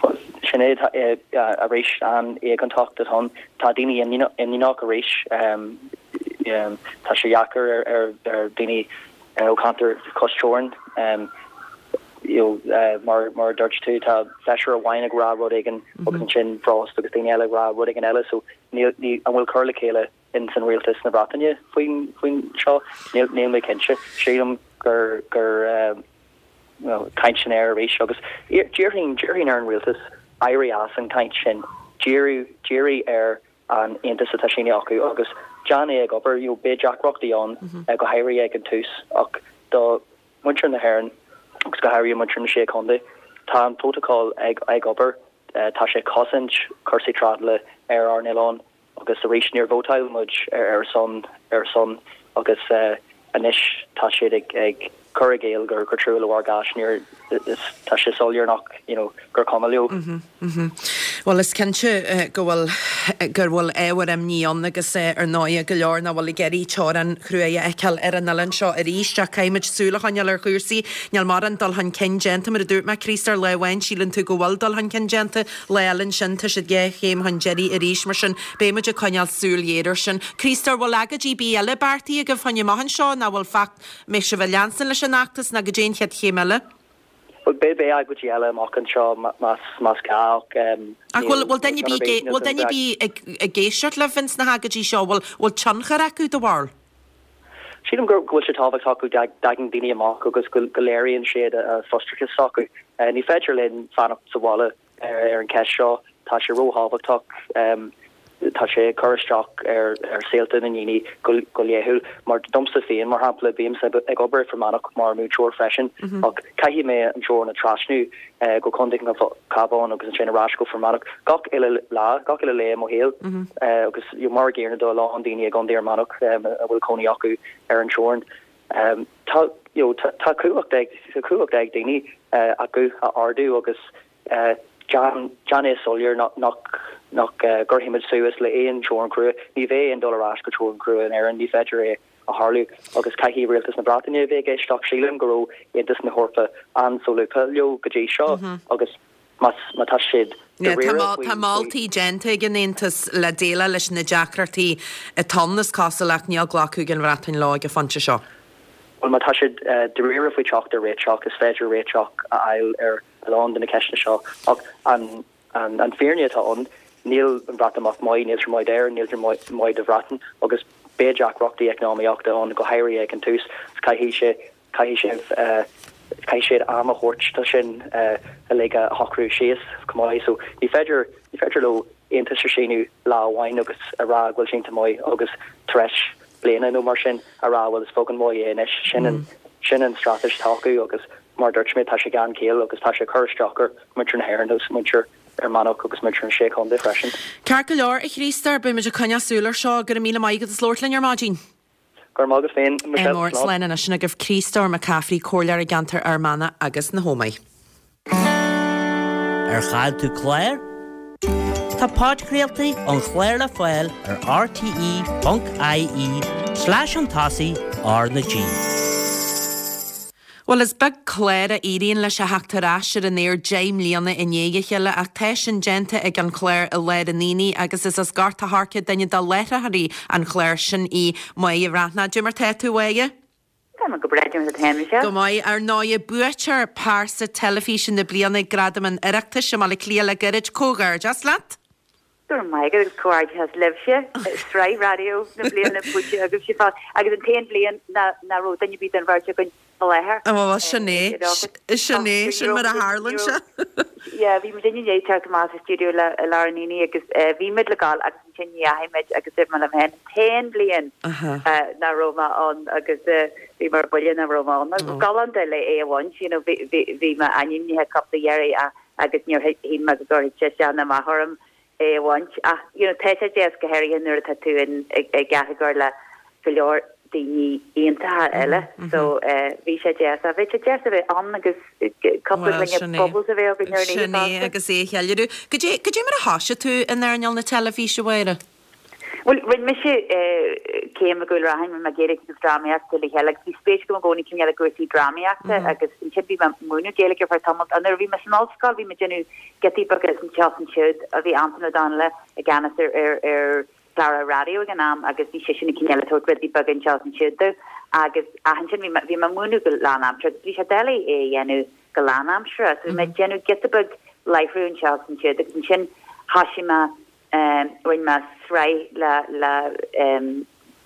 Bhuel, sin é, arís, an éiginnteacht atá ann. Tá daoine imníneach arís. Tá sé dheacair ar ar daoine ó cheantar cois teorann. You know, mar mar a dúirt tú, tá feisire amháin ag rá rud éigin agus ansin Frost agus daoine eile ag rá rud éigin eile, so níl, ní, an bhfuil cur le chéile in san rialtas na Breataine faoin, faoin seo? Níl, níl mé cinnte. Sílim gur, gur, you know, caint san aer arís agus déarfainn, déarfainn ar an rialtas éirí as an chaint sin, díriú, dírigh ar an aontas atá sínithe acu agus déan é ag obair. You know, beidh deacrachtaí ann, go háirithe ag an tús ach do muintir na hÉireann agus go háirithe muintir na Sé Chontae, tá an prótacal ag ag obair, tá sé ag cosaint cúrsaí trádála ar ár n-oileán agus arís níor vótáil muid ar a son ar a son agus anois tá siad ag ag cur i gcéill gur gur trua leo ár gcás níor is tá sé soiléir nach you know gur cuma leo. Bhuel, is cinnte go bhfuil go bhfuil ábhar imní ann agus ar ndóigh go leor nach bhfuil ag iarraidh teorainn chruaidh a fheiceáil ar an oileán seo arís ach caithfimid súil a choinneáil ar chúrsaí. Níl mórán dul chun cinn déanta, mar a dúirt mé, Críostóir, lá amháin síleann tú go bhfuil dul chun cinn déanta, lá eile ansin tá siad dhá chéim chun deiridh arís. Mar sin, beidh muid ag coinneáil súil ghéar air sin. Críostóir, bhfuil agóidí ar bith eile beartaithe agaibh fá choinne amach anseo nó bhfuil feacht, mbeidh sibh ag leanstan leis an fheachtas nó goidé an chéad chéim eile? Bhuel, beidh beidh agóidí eile amach anseo más más gá ach Ach bhfuil bhfuil duine ar bith ag bhfuil duine ar bith ag ag éisteacht libh ins na hagóidí seo? Bhfuil bhfuil tionchar acu, do bharúil? Sílim go go bhfuil sé tábhachtach go dtagann daoine amach agus go go léiríonn siad a frustrachas s'acu. Ní féidir linn fanacht sa bhaile Ar an cheist seo, tá sé róthábhachtach. Tá sé ag cur isteach ar saolta na ndaoine go laethúil. Mar domsa féin, mar shampla, bímse ag obair i Fear Manach mar mhúinteoir freisin, ach caithfidh mé an teorainn a trasnú go Contae an Chabháin agus ansin ar ais go Fear Manach gach uile lá, gach uile lae i mo shaol. Agus mar a gcéanna do a lán daoine i gContae Fhear Manach a bhfuil cónaí acu ar an teorainn. Tá you know tá cumhacht ag tá cumhacht ag daoine a guth a ardú agus déan déan é soiléir nach nach nach gcuirfimid suas le aon teorainn chrua. Ní bheidh aon dul ar ais go teorainn chrua in Éirinn, ní féidir é a tharlú agus caithfidh rialtas na Breataine a bheith ag éisteacht. Sílim go raibh Aontas na hEorpa an-solúbtha leo go dtí seo agus má má tá siad dáiríre faoi Tá moltaí déanta ag an Aontas le déileáil leis na deacrachtaí atá ann, is cosúil, ach níl glacadh ag an Bhreatain leo ag an phointe seo. Bhuel, má tá siad dáiríre faoi teacht ar réiteach, is féidir réiteach a fháil ar a lán de na ceisteanna seo. Ach an an fírinne atá ann, níl an Bhreatimeacht maith, níl sé maith d'Éirinn, níl sé maith do Bhreatain agus beidh deacrachtaí eacnamaíochta ann, go háirithe ag an tús. Caithfidh sé Caithfidh sibh, caithfidh siad am a thabhairt do sin uilig a shocrú síos chomh maith. So ní féidir, ní féidir leo aontas a síniú lá amháin agus a rá go bhfuil sé iontach maith agus tar éis. bliana nó mar sin a rá bhuel is beag an mhaith é anois. Sin an sin an straitéis atá acu agus mar a dúirt mé tá sé gan chéill agus tá sé ag cur isteach ar muintir na hÉireann agus muintir Fhear Manach agus muintir na Sé Chontae freisin. Ceart go leor, a Chríostóir, beidh muid ag coinneáil súil ar seo. Go raibh míle maith agat as labhairt linn ar maidin. Go raibh maith agat féin, Michelle. Mór, slán anois. Sin agaibh Críostóir Mac Cafraidh, Comhairleoir i gceantar Fhear Manach agus na hÓmaí. Ar chaill tú clár? Tá podchraoltaí an chláir le fáil ar rte.ie slash chun tosaigh R na G. Bhuel, is beag clár a éiríonn leis a theacht ar ais ar an aer 10 mbliana i ndiaidh a chéile ach tá sin déanta ag an chlár I Lár an Aonaigh agus is as Gort a' Choirce duine de láithreoirí an chláir sin í Máire Bhreathnach. Cad é mar tá tú, a Mháire? Tá mé go breá, cad é mar tá tú féin, Michelle. Go maith. Ar ndóigh, buaiteoir Pearsa Teilifíse na Bliana ag Gradaim an Oireachtais i mBaile Átha Cliath le gairid. Comhghairdeas leat! Go raibh maith agat agus comhghairdeas libhse, sraith raidió na bliana buaite agaibhse fosta agus an t-aon bhliain nach raibh duine ar bith den bheirt againn i láthair. Bhuel, sin é, sin é, sin mar a tharlaíonn sé. Yeah, bhí muid i ndiaidh teacht amach as an stiúideo le I Lár an Aonaigh agus bhí muid le gabháil agus ansin ní dheachaigh muid agus dúirt mé liom féin an t-aon bhliain nach raibh mé ann agus bhí mé ar buile nach raibh mé ann. Agus galánta le é a bhaint, you know, bhí mé ainmnithe cúpla iarraidh ach agus níor shíl mé go gcuirfeadh sé isteach ná amach orm é a bhaint. Ach, you know, tá sé deas go háirithe nuair atá tú in, i gcatagóir le go leor daoine iontacha eile. So, bhí sé deas. Ach bhí sé deas a bheith ann agus cúpla Bhuel, gloine sin é. bubbles a bheith againn ar an oíche Sin é fosta. agus é a cheiliúradh. Goidé, goidé mar a thoisigh tú in earnáil na teilifíse, a Mháire? Bhuel, rinne mise céim i gCúil Raithin, rinne mé Gaeilge agus Drámaíocht le chéile agus bhí spéis agam i gcónaí cineál i gcúrsaí drámaíochta agus ansin bhí mé ag múineadh Gaeilge ar feadh tamaill. Nuair a bhí mé san ollscoil bhí mé ag déanamh giotaí beaga anseo is ansiúd. Bhí Antain Ó Donnghaile i gceannas ar ar chlár raidió ag an am agus bhí seisean ag cineál ag tabhairt rudaí beaga anseo is ansiúd domh agus ach ansin bhí mé bhí mé ag múineadh go lánaimseartha agus bhí sé doiligh é a dhéanamh go lánaimseartha. So bhí mé ag déanamh giota beag láithriú anseo is ansiúd agus ansin thoisigh mé Rinne mé sraith le le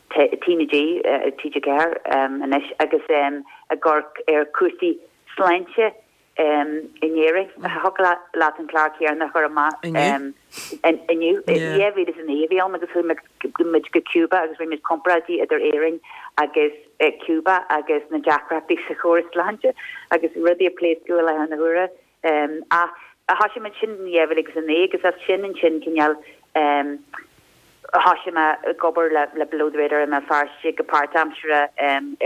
T na G, TG4 anois, agus ag amharc ar cúrsaí sláinte in Éirinn. Thiocfadh leat an clár céanna a chur amach inniu. 2009 a bhí ann agus chuaigh muid go Cuba agus rinne muid comparáidí idir Éirinn agus Cuba agus na deacrachtaí sa chóras sláinte agus rudaí ag pléascadh i láthair na huaire. Ach thoisigh muid sin in 2009 agus as sin ansin cineál thoisigh mé ag obair le le Below the Radar i mBéal Feirste go páirtaimseartha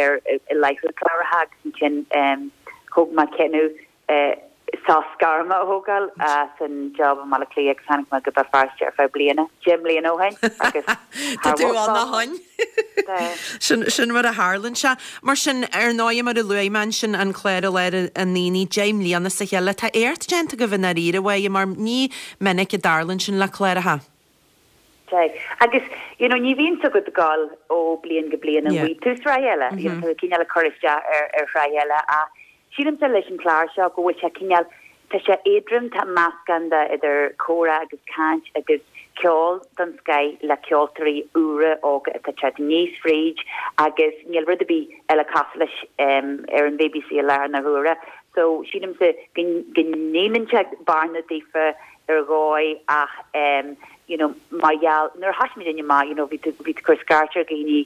ar i láithriú cláracha agus ansin thóg mé cinneadh sos gairme a thógáil as an job i mBaile Átha Cliath agus tháinig mé go Béal Feirste ar feadh bliana, 10 mbliana ó shin agus Tá tú ann ó shin. Sin, sin mar a tharlaíonn sé. Mar sin, ar ndóigh, mar a luaigh mé ansin, an clár i lár an aonaigh, 10 mbliana as a chéile, tá éacht déanta agaibh i ndáiríre, a Mháire, mar ní minic a dtarlaíonn sin le cláracha. Sea. Agus, you know, ní bhíonn 's agat ag gabháil ó bliain go bliain an bhfaighidh tú sraith eile, you know, tá tú cineál ag cur isteach ar, ar shraith eile ach Sílimse leis an chlár seo go bhfuil sé cineál, tá sé éadrom, tá meascán de idir comhrá agus caint agus ceol den scoith le ceoltóirí úra óga atá ag teacht aníos fríd agus níl rud ar bith eile cosúil leis ar an bhBC i láthair na huaire. So sílimse go go ndéanann sé bearna daofa ar dhóigh ach you know mar gheall, nuair a thoisigh muid amach you know bhí tú bhí tú ag cur scairt ar dhaoine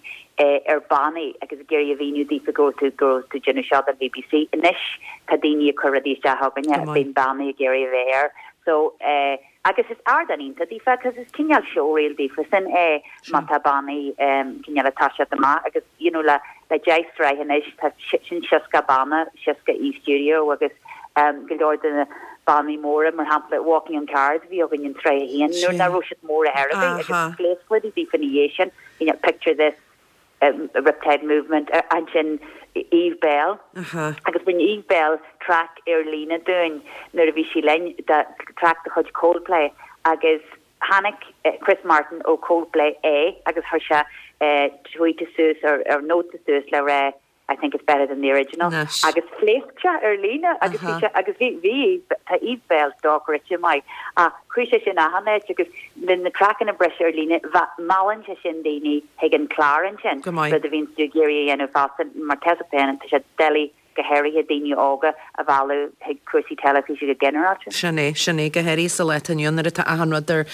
ar bannaí agus ag iarraidh a mhíniú daofa go raibh tú go raibh tú ag déanamh seo don BBC. Anois tá daoine ag cur rudaí isteach chugainne, bíonn bannaí ag iarraidh a bheith air. So eh agus is ardán iontach daofa cos is cineál showreel daofa sin é má tá bannaí cineál ag toiseacht amach agus you know le le 10 sraith anois tá sin 60 banna, 60 aoi stiúideo agus go leor de na bannaí móra, mar shampla Walking on Cards a bhí againn in sraith a haon nuair nach raibh siad mór ar chor ar bith agus phléasc rudaí daofa ina dhiaidh sin, you know Picture This, Riptide Movement, ansin Eve Belle agus rinne Eve Belle traic ar líne dúinn nuair a bhí sí linn, traic de chuid Coldplay agus tháinig Chris Martin ó Coldplay é agus chuir sé tweet suas ar nóta suas le rá I think it's better than the original. Agus phléasc sé ar líne agus bhí sé agus bhí bhí tá Eve Belle dochreidte maith ach chuaigh sé sin achan áit agus le na traiceanna ag briseadh ar líne meallann sé sin daoine chuig an clár ansin, rud a bhíonn tú ag iarraidh a dhéanamh fosta mar tá a fhios agat féin tá sé doiligh. go háirithe daoine óga a mhealladh chuig cúrsaí teilifíse go ginearálta. Sin é, sin é, go háirithe sa lá atá inniu ann nuair atá achan rud ar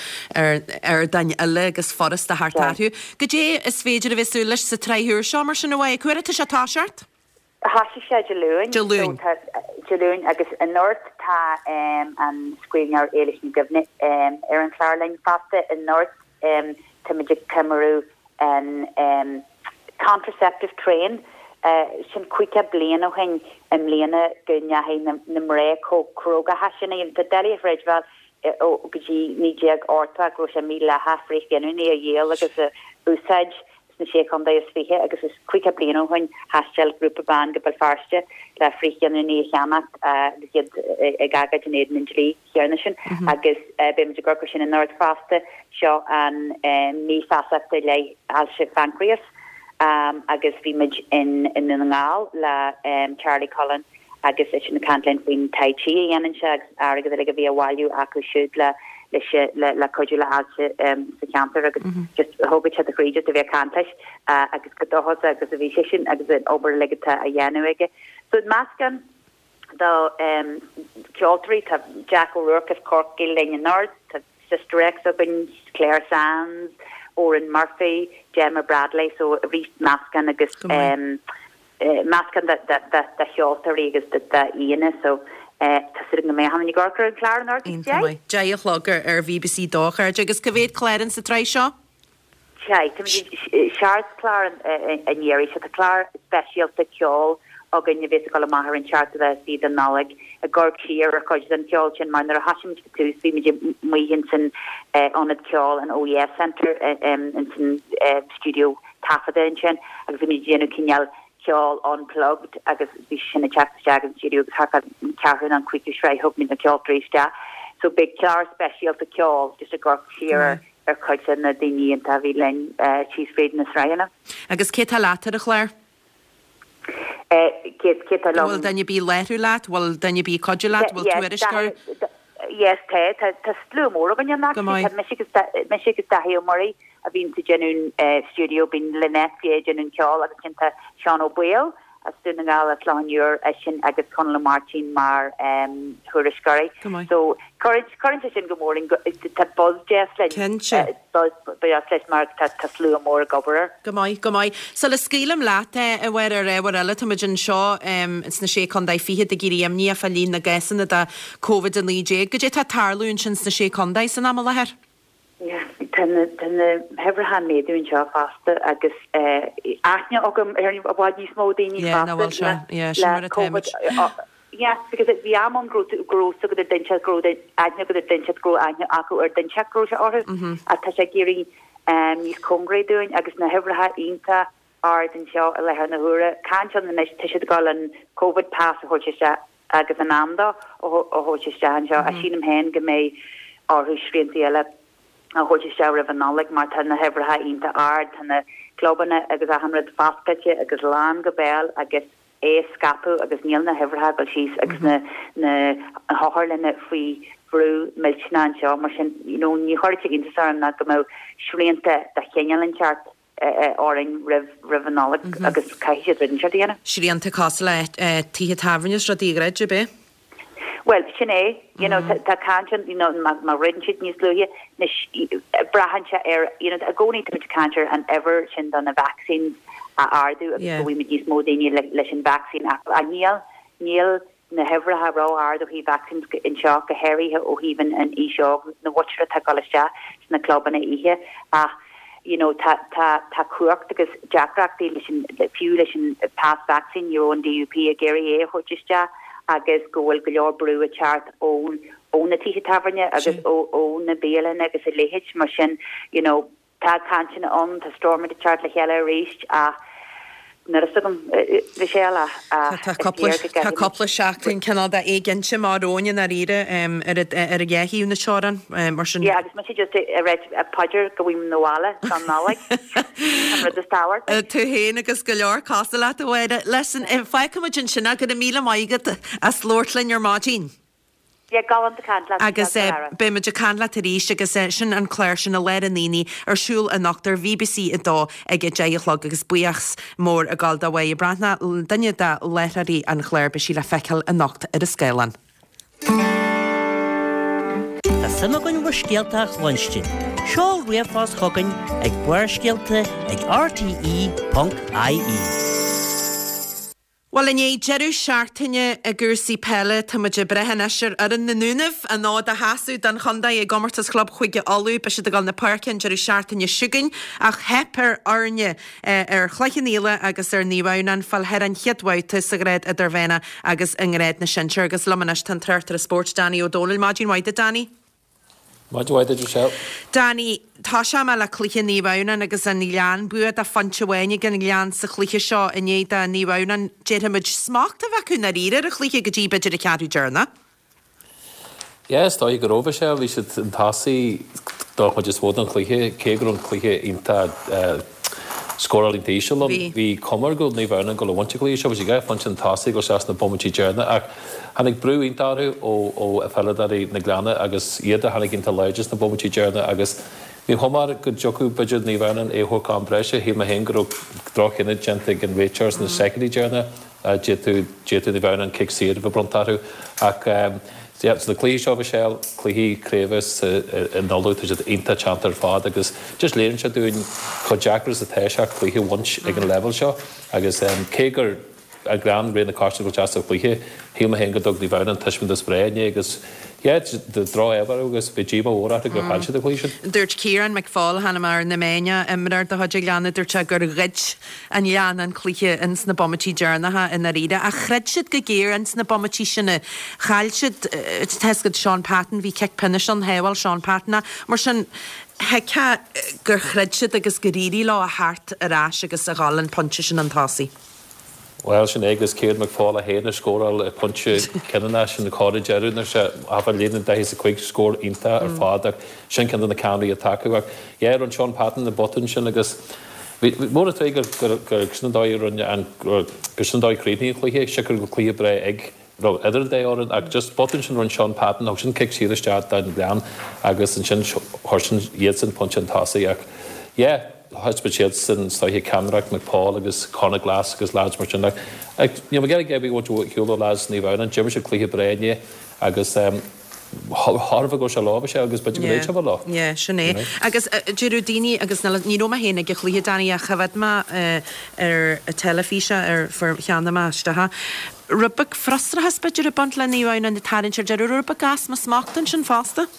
ar ardáin eile agus furasta theacht orthu. Goidé is féidir a bheith ag súil leis sa tsraith úr seo mar sin, a Mháire? Cá huair atá sé ag toiseacht? Thosaigh sé Dé Luain. Dé Luain. So tá, Dé Luain agus anocht tá an scríbhneoir Éilis Ní Dhuibhne ar an chlár linn fosta. Anocht táimid ag ceiliúradh an contraceptive train, sin 50 bliain ó shin i mbliana go ndeachaigh na mná chomh cróga sin. Tá doiligh a chreidbheáil ó go dtí 1980 go raibh sé mídhleathach frithghiniúnaigh a dhíol agus a úsáid sna Sé Chontae is 20 agus is 50 bliain ó shin thaistil grúpa ban go Béal Feirste le frithghiniúnaigh a cheannacht agus iad ag agóid in éadan an dlí chéanna sin agus beidh muid ag amharc air sin anocht fosta. Seo an mí feasachta i leith ailse phancréas agus bhí muid i nDún na nGall le Charlie Cullen agus eisean ag caint linn faoin Tai Chi a dhéanann sé agus airgead uilig a bhí á bhailiú acu siúd le le le cuidiú le hailse sa cheantar agus just thógfadh sé do chroí just a bheith ag caint leis agus chomh dóchasach agus a bhí seisean agus an obair uilig atá á dhéanamh aige. So meascán de ceoltóirí, tá Jack O'Rourke as Corcaigh linn anocht, tá Sister X againn, Clare Sands, Odhrán Murphy, Gemma Bradley, so arís meascán agus meascán de cheoltóirí agus d'aíonna so tá súil agam go mbeidh achan duine ag amharc ar an chlár anocht ag Iontach maith. 10 a chlog ar BBC 2 a chairde. Agus cá mhéad clár in sa tsraith seo? Sea, táimid ag seacht clár an iarraidh seo. Tá clár speisialta ceoil againn a bhéas ag dul amach ar an seachtú lá is fiche de Nollaig, ag amharc siar ar chuid den cheol sin mar nuair a thosaigh muid ag tús bhí muid amuigh ins an ionad ceoil, an Oh Yeah Centre, ins an stiúideo taifeadta ansin agus bhí muid ag déanamh cineál ceol unplugged agus bhí sin ag teacht isteach an stiúideo agus thart fán ceathrú nó an cúigiú sraith thug muid na ceoltóirí isteach. So beidh clár speisialta ceoil just ag amharc siar ar ar chuid de na daoine iontacha a bhí linn síos fríd na sraitheanna. Agus cé tá leat ar an chlár? Cé cé tá liom? Bhfuil duine ar bith ag láithriú leat? Bhfuil duine ar bith ag cuidiú leat? Bhfuil tuairisceoir? Yes, tá. Tá tá slua mór againn ann actually. Tá mise agus mise agus Dáithí Ó Muirí a bhíonn ag déanamh an stiúideo, bíonn Lynette Fay ag déanamh an ceoil agus ansin tá Seán Ó Baoill as Dún na nGall, as Loch an Iúir, eisean agus Conall Ó Máirtín mar thuairisceoirí. Go maith. So cuireann sé sin go mór linn, tá buzz deas linn. Cinnte. Buzz deas leis mar tá slua mór ag obair air. Go maith, go maith. Sula scaoilim leat, a Mháire, ar ábhar eile, táimid anseo sna Sé Contae Fichead ag éirí imníoch fá líon na gcásanna de Covid-19. Goidé tá ag tarlú ansin sna Sé Contae san am i láthair? Tá na huimhreacha ag méadú anseo fosta agus aithne agam ar i bhfad níos mó daoine fosta le Covid. Yeah, because bhí am ann go raibh go raibh fhios agat ar duine inteacht go raibh aithne agat ar duine inteacht go raibh aithne acu ar duine inteacht go raibh sé orthu. Ach tá sé ag éirí níos cóngaraí dúinn agus na huimhreacha iontach ard anseo i láthair na huaire. Caint ann anois, tá siad ag dul an Covid pass a thabhairt isteach agus in am dó a thabhairt isteach anseo ach sílim féin go mbeidh orthu sriantaí eile a thabhairt isteach roimh an Nollaig mar tá na huimhreacha iontach ard, tá na clubanna agus achan rud foscailte agus lán go béal agus é ag scaipeadh agus níl na huimhreacha ag dul síos agus na na hotharlanna faoi bhrú millteanach anseo mar sin you know ní chuirfeadh sé iontas orm ná go mbeadh srianta de chineál inteacht orainn roimh roimh an Nollaig agus caithfidh siad rud inteacht a dhéanamh. Srianta cosúil le tithe tábhairne is rudaí a dhruid, ab é? Bhuel, sin é. You know, tá caint ann, you know, má má dhruideann siad níos luaithe, anois braitheann sé ar, you know, i gcónaí tá muid ag caint ar an uimhir sin do na vaccines a ardú agus go bhfaighimid níos mó daoine leis an vacsaín ach níl, níl na huimhreacha ró-ard ó thaobh vaccines anseo, go háirithe ó thaobh an aois óg, na mhuintir atá ag dul isteach sna clubanna oíche ach you know tá tá tá cumhacht agus deacrachtaí leis an fiú leis an pas vacsaín, ní raibh an DUP ag iarraidh é a thabhairt isteach agus go bhfuil go leor brú ag teacht ó ó na tithe tábhairne agus ó ó na bialanna agus a leithéid mar sin you know Tá cainteanna ann, tá Stormont ag teacht le chéile arís ach níl a fhios agam, Michelle, ach Tá is léir go gcaithfimid. Tá cúpla seachtain cineál de éiginnte amach romhainn i ndáiríre ar an dhá thaobh na teorann, mar sin. Yeah, agus mise just ag rá paidir go bhfaighim 'na bhaile don Nollaig, an rud is tábhachtaí. Tú féin agus go leor cosúil leat, a Mháire. Listen, fágfaimid ansin é, go raibh míle maith agat as labhairt linn ar maidin. Yeah, galánta caint leat Agus beidh muid ag caint leat arís agus sin an clár sin i lár an aonaigh ar siúl anocht ar BBC 2 ag 10 a chlog agus buíochas mór ag dul do Mháire Breathnach, duine de láithreoirí an chláir, beidh sí le feiceáil anocht ar an scáileán. Tá suim againn bhur scéalta a chluinstin. Seol ríomhphost chugainn ag Barrscéalta ag rte.ie. Bhuel, i ndiaidh deireadh seachtaine i gcúrsaí peile, tá muid ag breith anois ar fhoireann na nDúnaibh, an fhód a sheasamh don chontae i gcomórtas chlub Chúige Uladh. Beidh siad ag dul na páirce an deireadh seachtaine seo chugainn ach theip ar fhoirne ar Chloich Cheann Fhaola agus ar Naomh Adhamhnáin fáil thar an chéad bhabhta sa ghrád idirmheánach agus i ngrád na sinsear. Agus liom anois tá an tráchtaire spóirt Danny Ó Dónaill. Maidin mhaith duit, Danny. Maidin mhaith duit, Michelle. Danny, Tosóidh mé le cluiche Naomh Adhamhnáin agus an Gleann. Bua de phointe amháin ag an Ghleann sa chluiche seo i ndiaidh do Naomh Adhamhnáin, déarfaidh muid, smacht a bheith acu i ndáiríre ar an chluiche go dtí b'fhéidir an ceathrú deireanach. Yeah, is dóigh go raibh, Michelle. Bhí siad chun tosaigh don chuid is mó den chluiche, cé go raibh an cluiche iontach scóráil iontach íseal ann. Bhí cuma air go raibh Naomh Adhamhnáin ag dul a bhaint an chluiche seo, bhí siad dhá phointe chun tosaigh ag dul isteach sna bomaití deireanacha ach Tháinig brú iontach orthu ó pheileadóirí na Gleanna agus iad a tháinig iontach láidir sna bomaití deireanacha agus ní chuma air go dtiocfadh b'fhéidir Naomh Adhamhnáin é a thabhairt go am breise. Shíl mé féin go raibh droch-chinneadh déanta ag an réiteoir sna soicindí deireanacha. D'fhéadfadh d'fhéadfadh Naomh Adhamhnáin cic saor a bheith bronnta orthu ach yeah so na cluichí seo Michelle, cluichí craoibhe sa in Uladh tá siad iontach teannta ar fad agus just léiríonn sé dúinn chomh deacair is atá sé cluiche a bhaint ag an leibhéal seo agus cé gur An Gleann, réidh na cártaí a bhfuil deas sa chluiche. Shíl mé féin go dtug Naomh Adhamhnáin taispeántas breá inné agus yeah, droch-ádh orthu agus bhí díomá mhór orthu gur chaill siad an cluiche sin. Dúirt Ciarán McFaul, chonaic mé ar na meáin, imreoir de chuid an Ghleanna, dúirt sé gur ghoid an Gleann an cluiche ins na bomaití deireanacha i ndáiríre. Ach throid siad go géar ins na bomaití sin. Chaill siad, tá 'fhios agat, Seán Patton, bhí cic pionóis ann, shábháil Seán Patton é. Mar sin, thuigfeá gur throid siad agus gur éirigh leo a theacht ar ais agus a dhul an pointe sin chun tosaigh. Bhuel, sin é agus Ciarán McFaul é féin a scóráil pointe cinniúnach sin chor ag deireadh nuair sé thart ar líne an 45 scór iontach ar fad ach sin ceann de na ceannairí atá acu ach yeah rinne Seán Patton an botún sin agus bhí mór an truaigh gur gur sin an dóigh a rinne an gur sin an dóigh a chríochnaigh an cluiche siocair go cluiche breá ag raibh idir an dá fhoireann ach just botún sin rinne Seán Patton thug sin cic saor isteach don Ghleann agus ansin chuir sin iadsan pointe chun tosaigh ach yeah thaispeáin siadsan is dóiche ceannaireacht McFaul agus Conor Glass agus lads mar sin ach níl mé ag iarraidh a bheith ag shiúl ó lads Naomh Adhamhnáin d'imir siad cluiche breá inné agus chóir go raibh sé leo bhí sé agus b'fhéidir go mbeidh sé leo. Yeah, sin é. Agus deireadh daoine agus ní raibh mé féin ag an chluiche Danny ach choimhéad mé ar an teilifís é ar fuair cheannaigh mé isteach é. Rud beag frustrachas b'fhéidir ag baint le Naomh Adhamhnáin ag tarraingt ar deireadh, rud beag easpa smachta ansin fosta.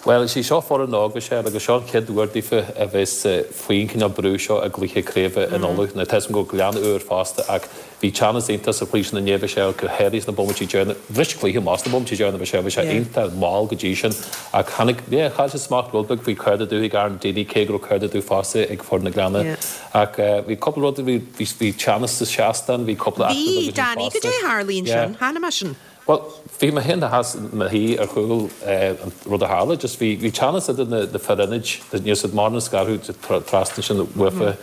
Bhuel, is í seo foireann óg, Michelle, agus seo an chéad uair daofa a bheas faoin chineál brú seo i gcluiche craoibhe in Uladh. Now, tá 'fhios agam go raibh Gleann úr fosta ach bhí teannas iontach sa chluiche sin inné, Michelle, go háirithe sna bomaití deireanacha. Bhris cluiche amach sna bomaití deireanacha, Michelle, bhí sé iontach mall go dtí sin ach tháinig, yeah, chaill siad smacht rud beag faoi cárta dubh ag Aaron Deeney cé go raibh cárta dubh fosta ag foireann na Gleanna. Ach bhí cúpla rud, bhí, bhí teannas sa seastán, bhí cúpla eachtra beag ansin fosta. Bhí, Danny, goidé a tharla ansin, chonaic mé sin. Bhuel, bhí mé féin i mo shuí ar chúl an rud a tharla, just bhí, bhí teannas idir na, na fir ionaid, ní raibh siad mórán scartha trasna ansin uafa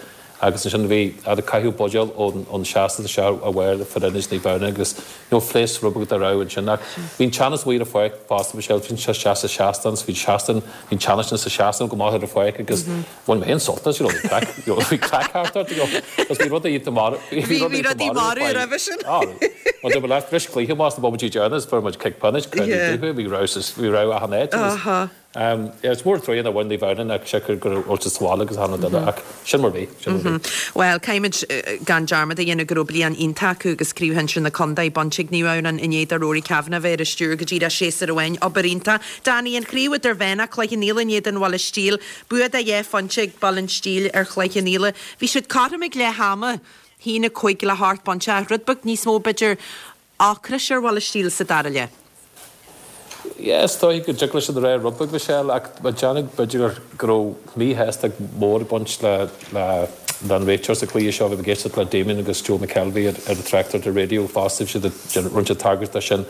agus ansin bhí, ar caitheadh buidéal ón, ón seastán isteach ar bharr fir ionaid Naomh Adhamhnáin agus you know phléasc rud beag dá raibh ansin ach bhí an teannas amuigh ar an pháirc fosta, bhí sé, bhí sé isteach sa seastán, bhí an seastán, bhí an teannas sin sa seastán go maith ar an pháirc agus Bhain mé féin sult as, you know, bhí craic, you know, bhí craic thart ort, you know, agus bhí rudaí iontach marbh, bhí rudaí iontach marbh roimhe sin. Ah, well, dúirt mé leat, bhris cluiche amach sna bomaití deireanacha, fuair muid cic pionóis, cárta dubh, bhí rabhadh, bhí rabhadh achan áit agus, um, yeah, is mór an truaighe nár bhain Naomh Adhamhnáin ach siocair go raibh siad sa bhaile agus achan rud eile ach sin mar bhí, sin mar bhí. Bhuel, caithfimid gan dearmad a dhéanamh go raibh bliain iontach acu agus Craobh Shinsir na Contae bainte ag Naomh Adhamhnáin i ndiaidh do Rory Kavanagh bheith ar an stiúir go díreach séasúr amháin. Obair iontach. Danny, an chraobh idirmheánach, Cloich Cheann Fhaola in éadan Bhaile Stíl. Bua de dhá phointe ag Baile an Stíl ar Chloich Cheann Fhaola. Bhí siad cothrom ag leath ama, 1, 5 le hocht bpointe ach rud beag níos mó b'fhéidir ocrais ar Bhaile Stíl sa dara leath. Yeah, is dóigh go dtig leis sin a rá rud beag, Michelle, ach mé ag déanamh b'fhéidir go raibh míshástacht mhór ag baint le le le an réiteoir sa chluiche seo. Bhí mé ag éisteacht le Damien agus Joe McKelvey ar ar an tráchtaireacht ar raidió fosta, bhí siad ag rinne siad tagairt dó sin.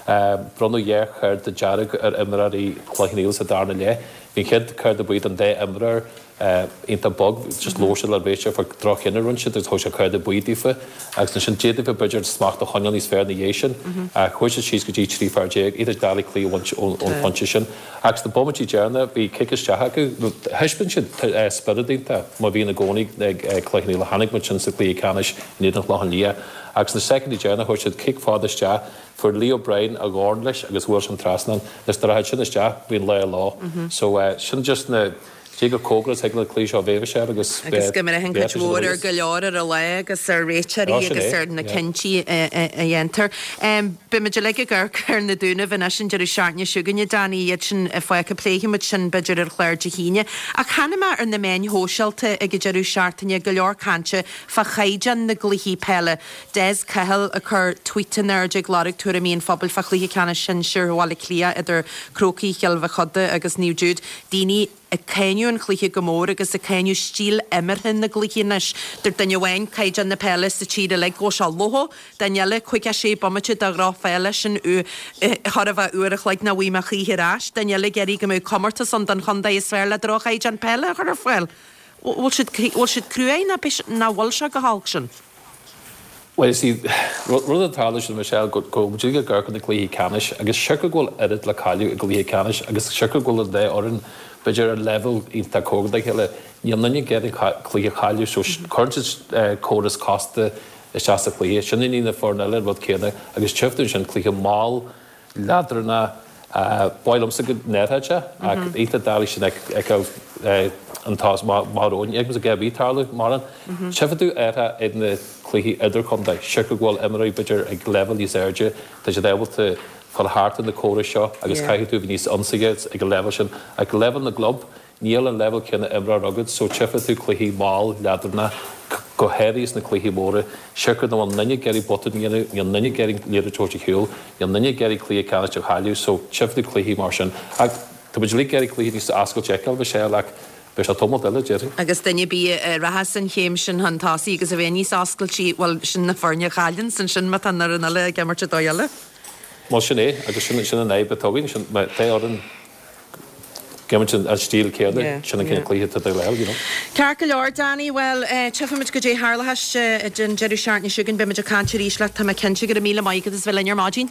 Bronnadh 2 chárta dearg ar imreoirí Chloich Cheann Fhaola sa darna leath. Bhí an chéad cárta buí don dá imreoir iontach bog, just labhair siad le réiteoir fá droch-chinneadh a rinne siad agus thug sé cárta buí daofa agus ansin d'fhéadfadh b'fhéidir smacht a choinneáil níos fearr ina dhiaidh sin ach chuaigh siad síos go dtí 13 fear, iontach doiligh cluiche a bhaint ón phointe sin. Ach sna bomaití deireanacha bhí cic isteach acu, thaispeáin siad spiorad iontach mar bhíonn i gcónaí ag Cloich Cheann Fhaola, chonaic muid sin sa chluiche ceannais in éadan Chlochán Liath ach sna soicindí deireanacha chuir siad cic fada isteach, Fuair Lee O'Brien a dhorn leis agus bhuail sé an trasnán. Anois dá rachadh sin isteach, bhí an lá leo. So sin just na, cé gur cóngarach is thig le cluiche seo a bheith Michelle agus Agus go mbraitheann cuid mhór ar go leor ar an lá agus ar réiteoirí agus ar na cinntí a dhéantar. Beidh muid uilig ag amharc ar na Dúnaibh anois an deireadh seachtaine seo chugainn, a Danny, iad sin fágtha. Pléifidh muid sin b'fhéidir ar chlár Dé hAoine. Ach chonaic mé ar na meáin shóisialta ag an deireadh seachtaine go leor cainte fá chaighdeán na gcluichí peile. Des Cahill ag cur tweet in airde ag lorg tuairimí an phobail fá chluiche ceannais sinsir Bhaile Átha Cliath idir Crócaigh Chill Mhochuda agus Naomh Jude. Daoine ag cáineadh an chluiche go mór agus ag cáineadh stíl imeartha na gcluichí anois. Deir duine amháin caighdeán na peile sa tír uilig go bhfuil sé lofa, duine eile 56 bomaite de dhrochpheil sin chóir a bheith uair a chloig nach bhfaighidh mé choíche ar ais. Duine eile ag iarraidh go mbeadh comórtas ann don chontae is fearr le droch-chaighdeán peile a chur ar fáil. Bhfuil siad bhfuil siad cruaidh ná nach bhfuil sé go holc sin? Bhuel, you see, rud atá ag tarlú sin, Michelle, go bhfuil muid ag amharc ar na cluichí ceannais agus siocair go bhfuil oiread le cailleadh i gcluiche ceannais agus siocair go bhfuil an dá fhoireann, b'fhéidir, ar leibhéal iontach cóngarach dá chéile, níl aon duine ag iarraidh cluiche a chailleadh so cuireann siad córas casta isteach sa chluiche. Sin i ndiaidh na foirne eile an rud céanna agus tchífidh tú ansin cluiche mall, leadránach. Ba mhaith liomsa go ndéarfadh sé, ach iontach doiligh sin a fheiceáil an t-ás maith romhainn. Ní fheicimse a dhath ar bith tarlú mórán. Tchífidh tú orthu ag na cluichí idirchontae, siocair go bhfuil imreoirí b'fhéidir ag leibhéal níos airde, tá siad ábalta fáil thart ar na córais seo agus caithfidh tú a bheith níos ionsaithe ag an leibhéal sin. Ag leibhéal na gclub, Níl an leibhéal céanna imreoir agat so tchífidh tú cluichí mall, leadránach, go háirithe sna cluichí móra, siocair nach bhfuil aon duine ag iarraidh botún a dhéanamh, níl aon duine ag iarraidh an liathróid a thabhairt ar shiúl, níl aon duine ag iarraidh cluiche ceannais a chailleadh so tchífidh tú cluichí mar sin. Ach tá muid uilig ag iarraidh cluiche níos oscailte a fheiceáil, Michelle, ach beidh sé tamall eile, déarfainn. Agus duine ar bith a rachas an chéim sin chun tosaigh agus a bheith níos oscailtí, bhuel, sin na foirne a chailleanns ansin má tá an fhoireann eile ag imirt ar dóigh eile. Bhuel, sin é, agus sin an fhadhb atá againn, sin, má tá orainn. Ag imirt an stíl céanna, sin an cineál cluiche atá ag dul, you know. Ceart go leor, Danny, bhuel, tchífimid goidé tharlóchas an deireadh seachtaine seo chugainn, beidh muid ag caint arís leat, tá mé cinnte. Go raibh míle maith agat as bheith linn ar maidin.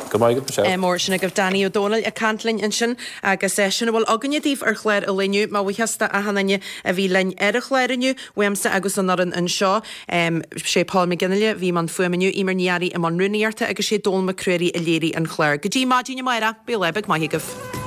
Go raibh maith agat, Michelle. Mór sin agaibh Danny Ó Dónaill ag caint linn ansin agus sin a bhfuil againne daoibh ar chlár an lae inniu. Mo bhuíochas do achan duine a bhí linn ar an chlár inniu, uaimse agus an fhoireann anseo. Sé Paul McGinley a bhí i mbun fuaime inniu, Eimear Ní Fhearraigh i mbun rúnaíochta agus sé Dónal Mac Ruairí a léirigh an clár. Go dtí maidin amárach, bíodh lá beag maith agaibh.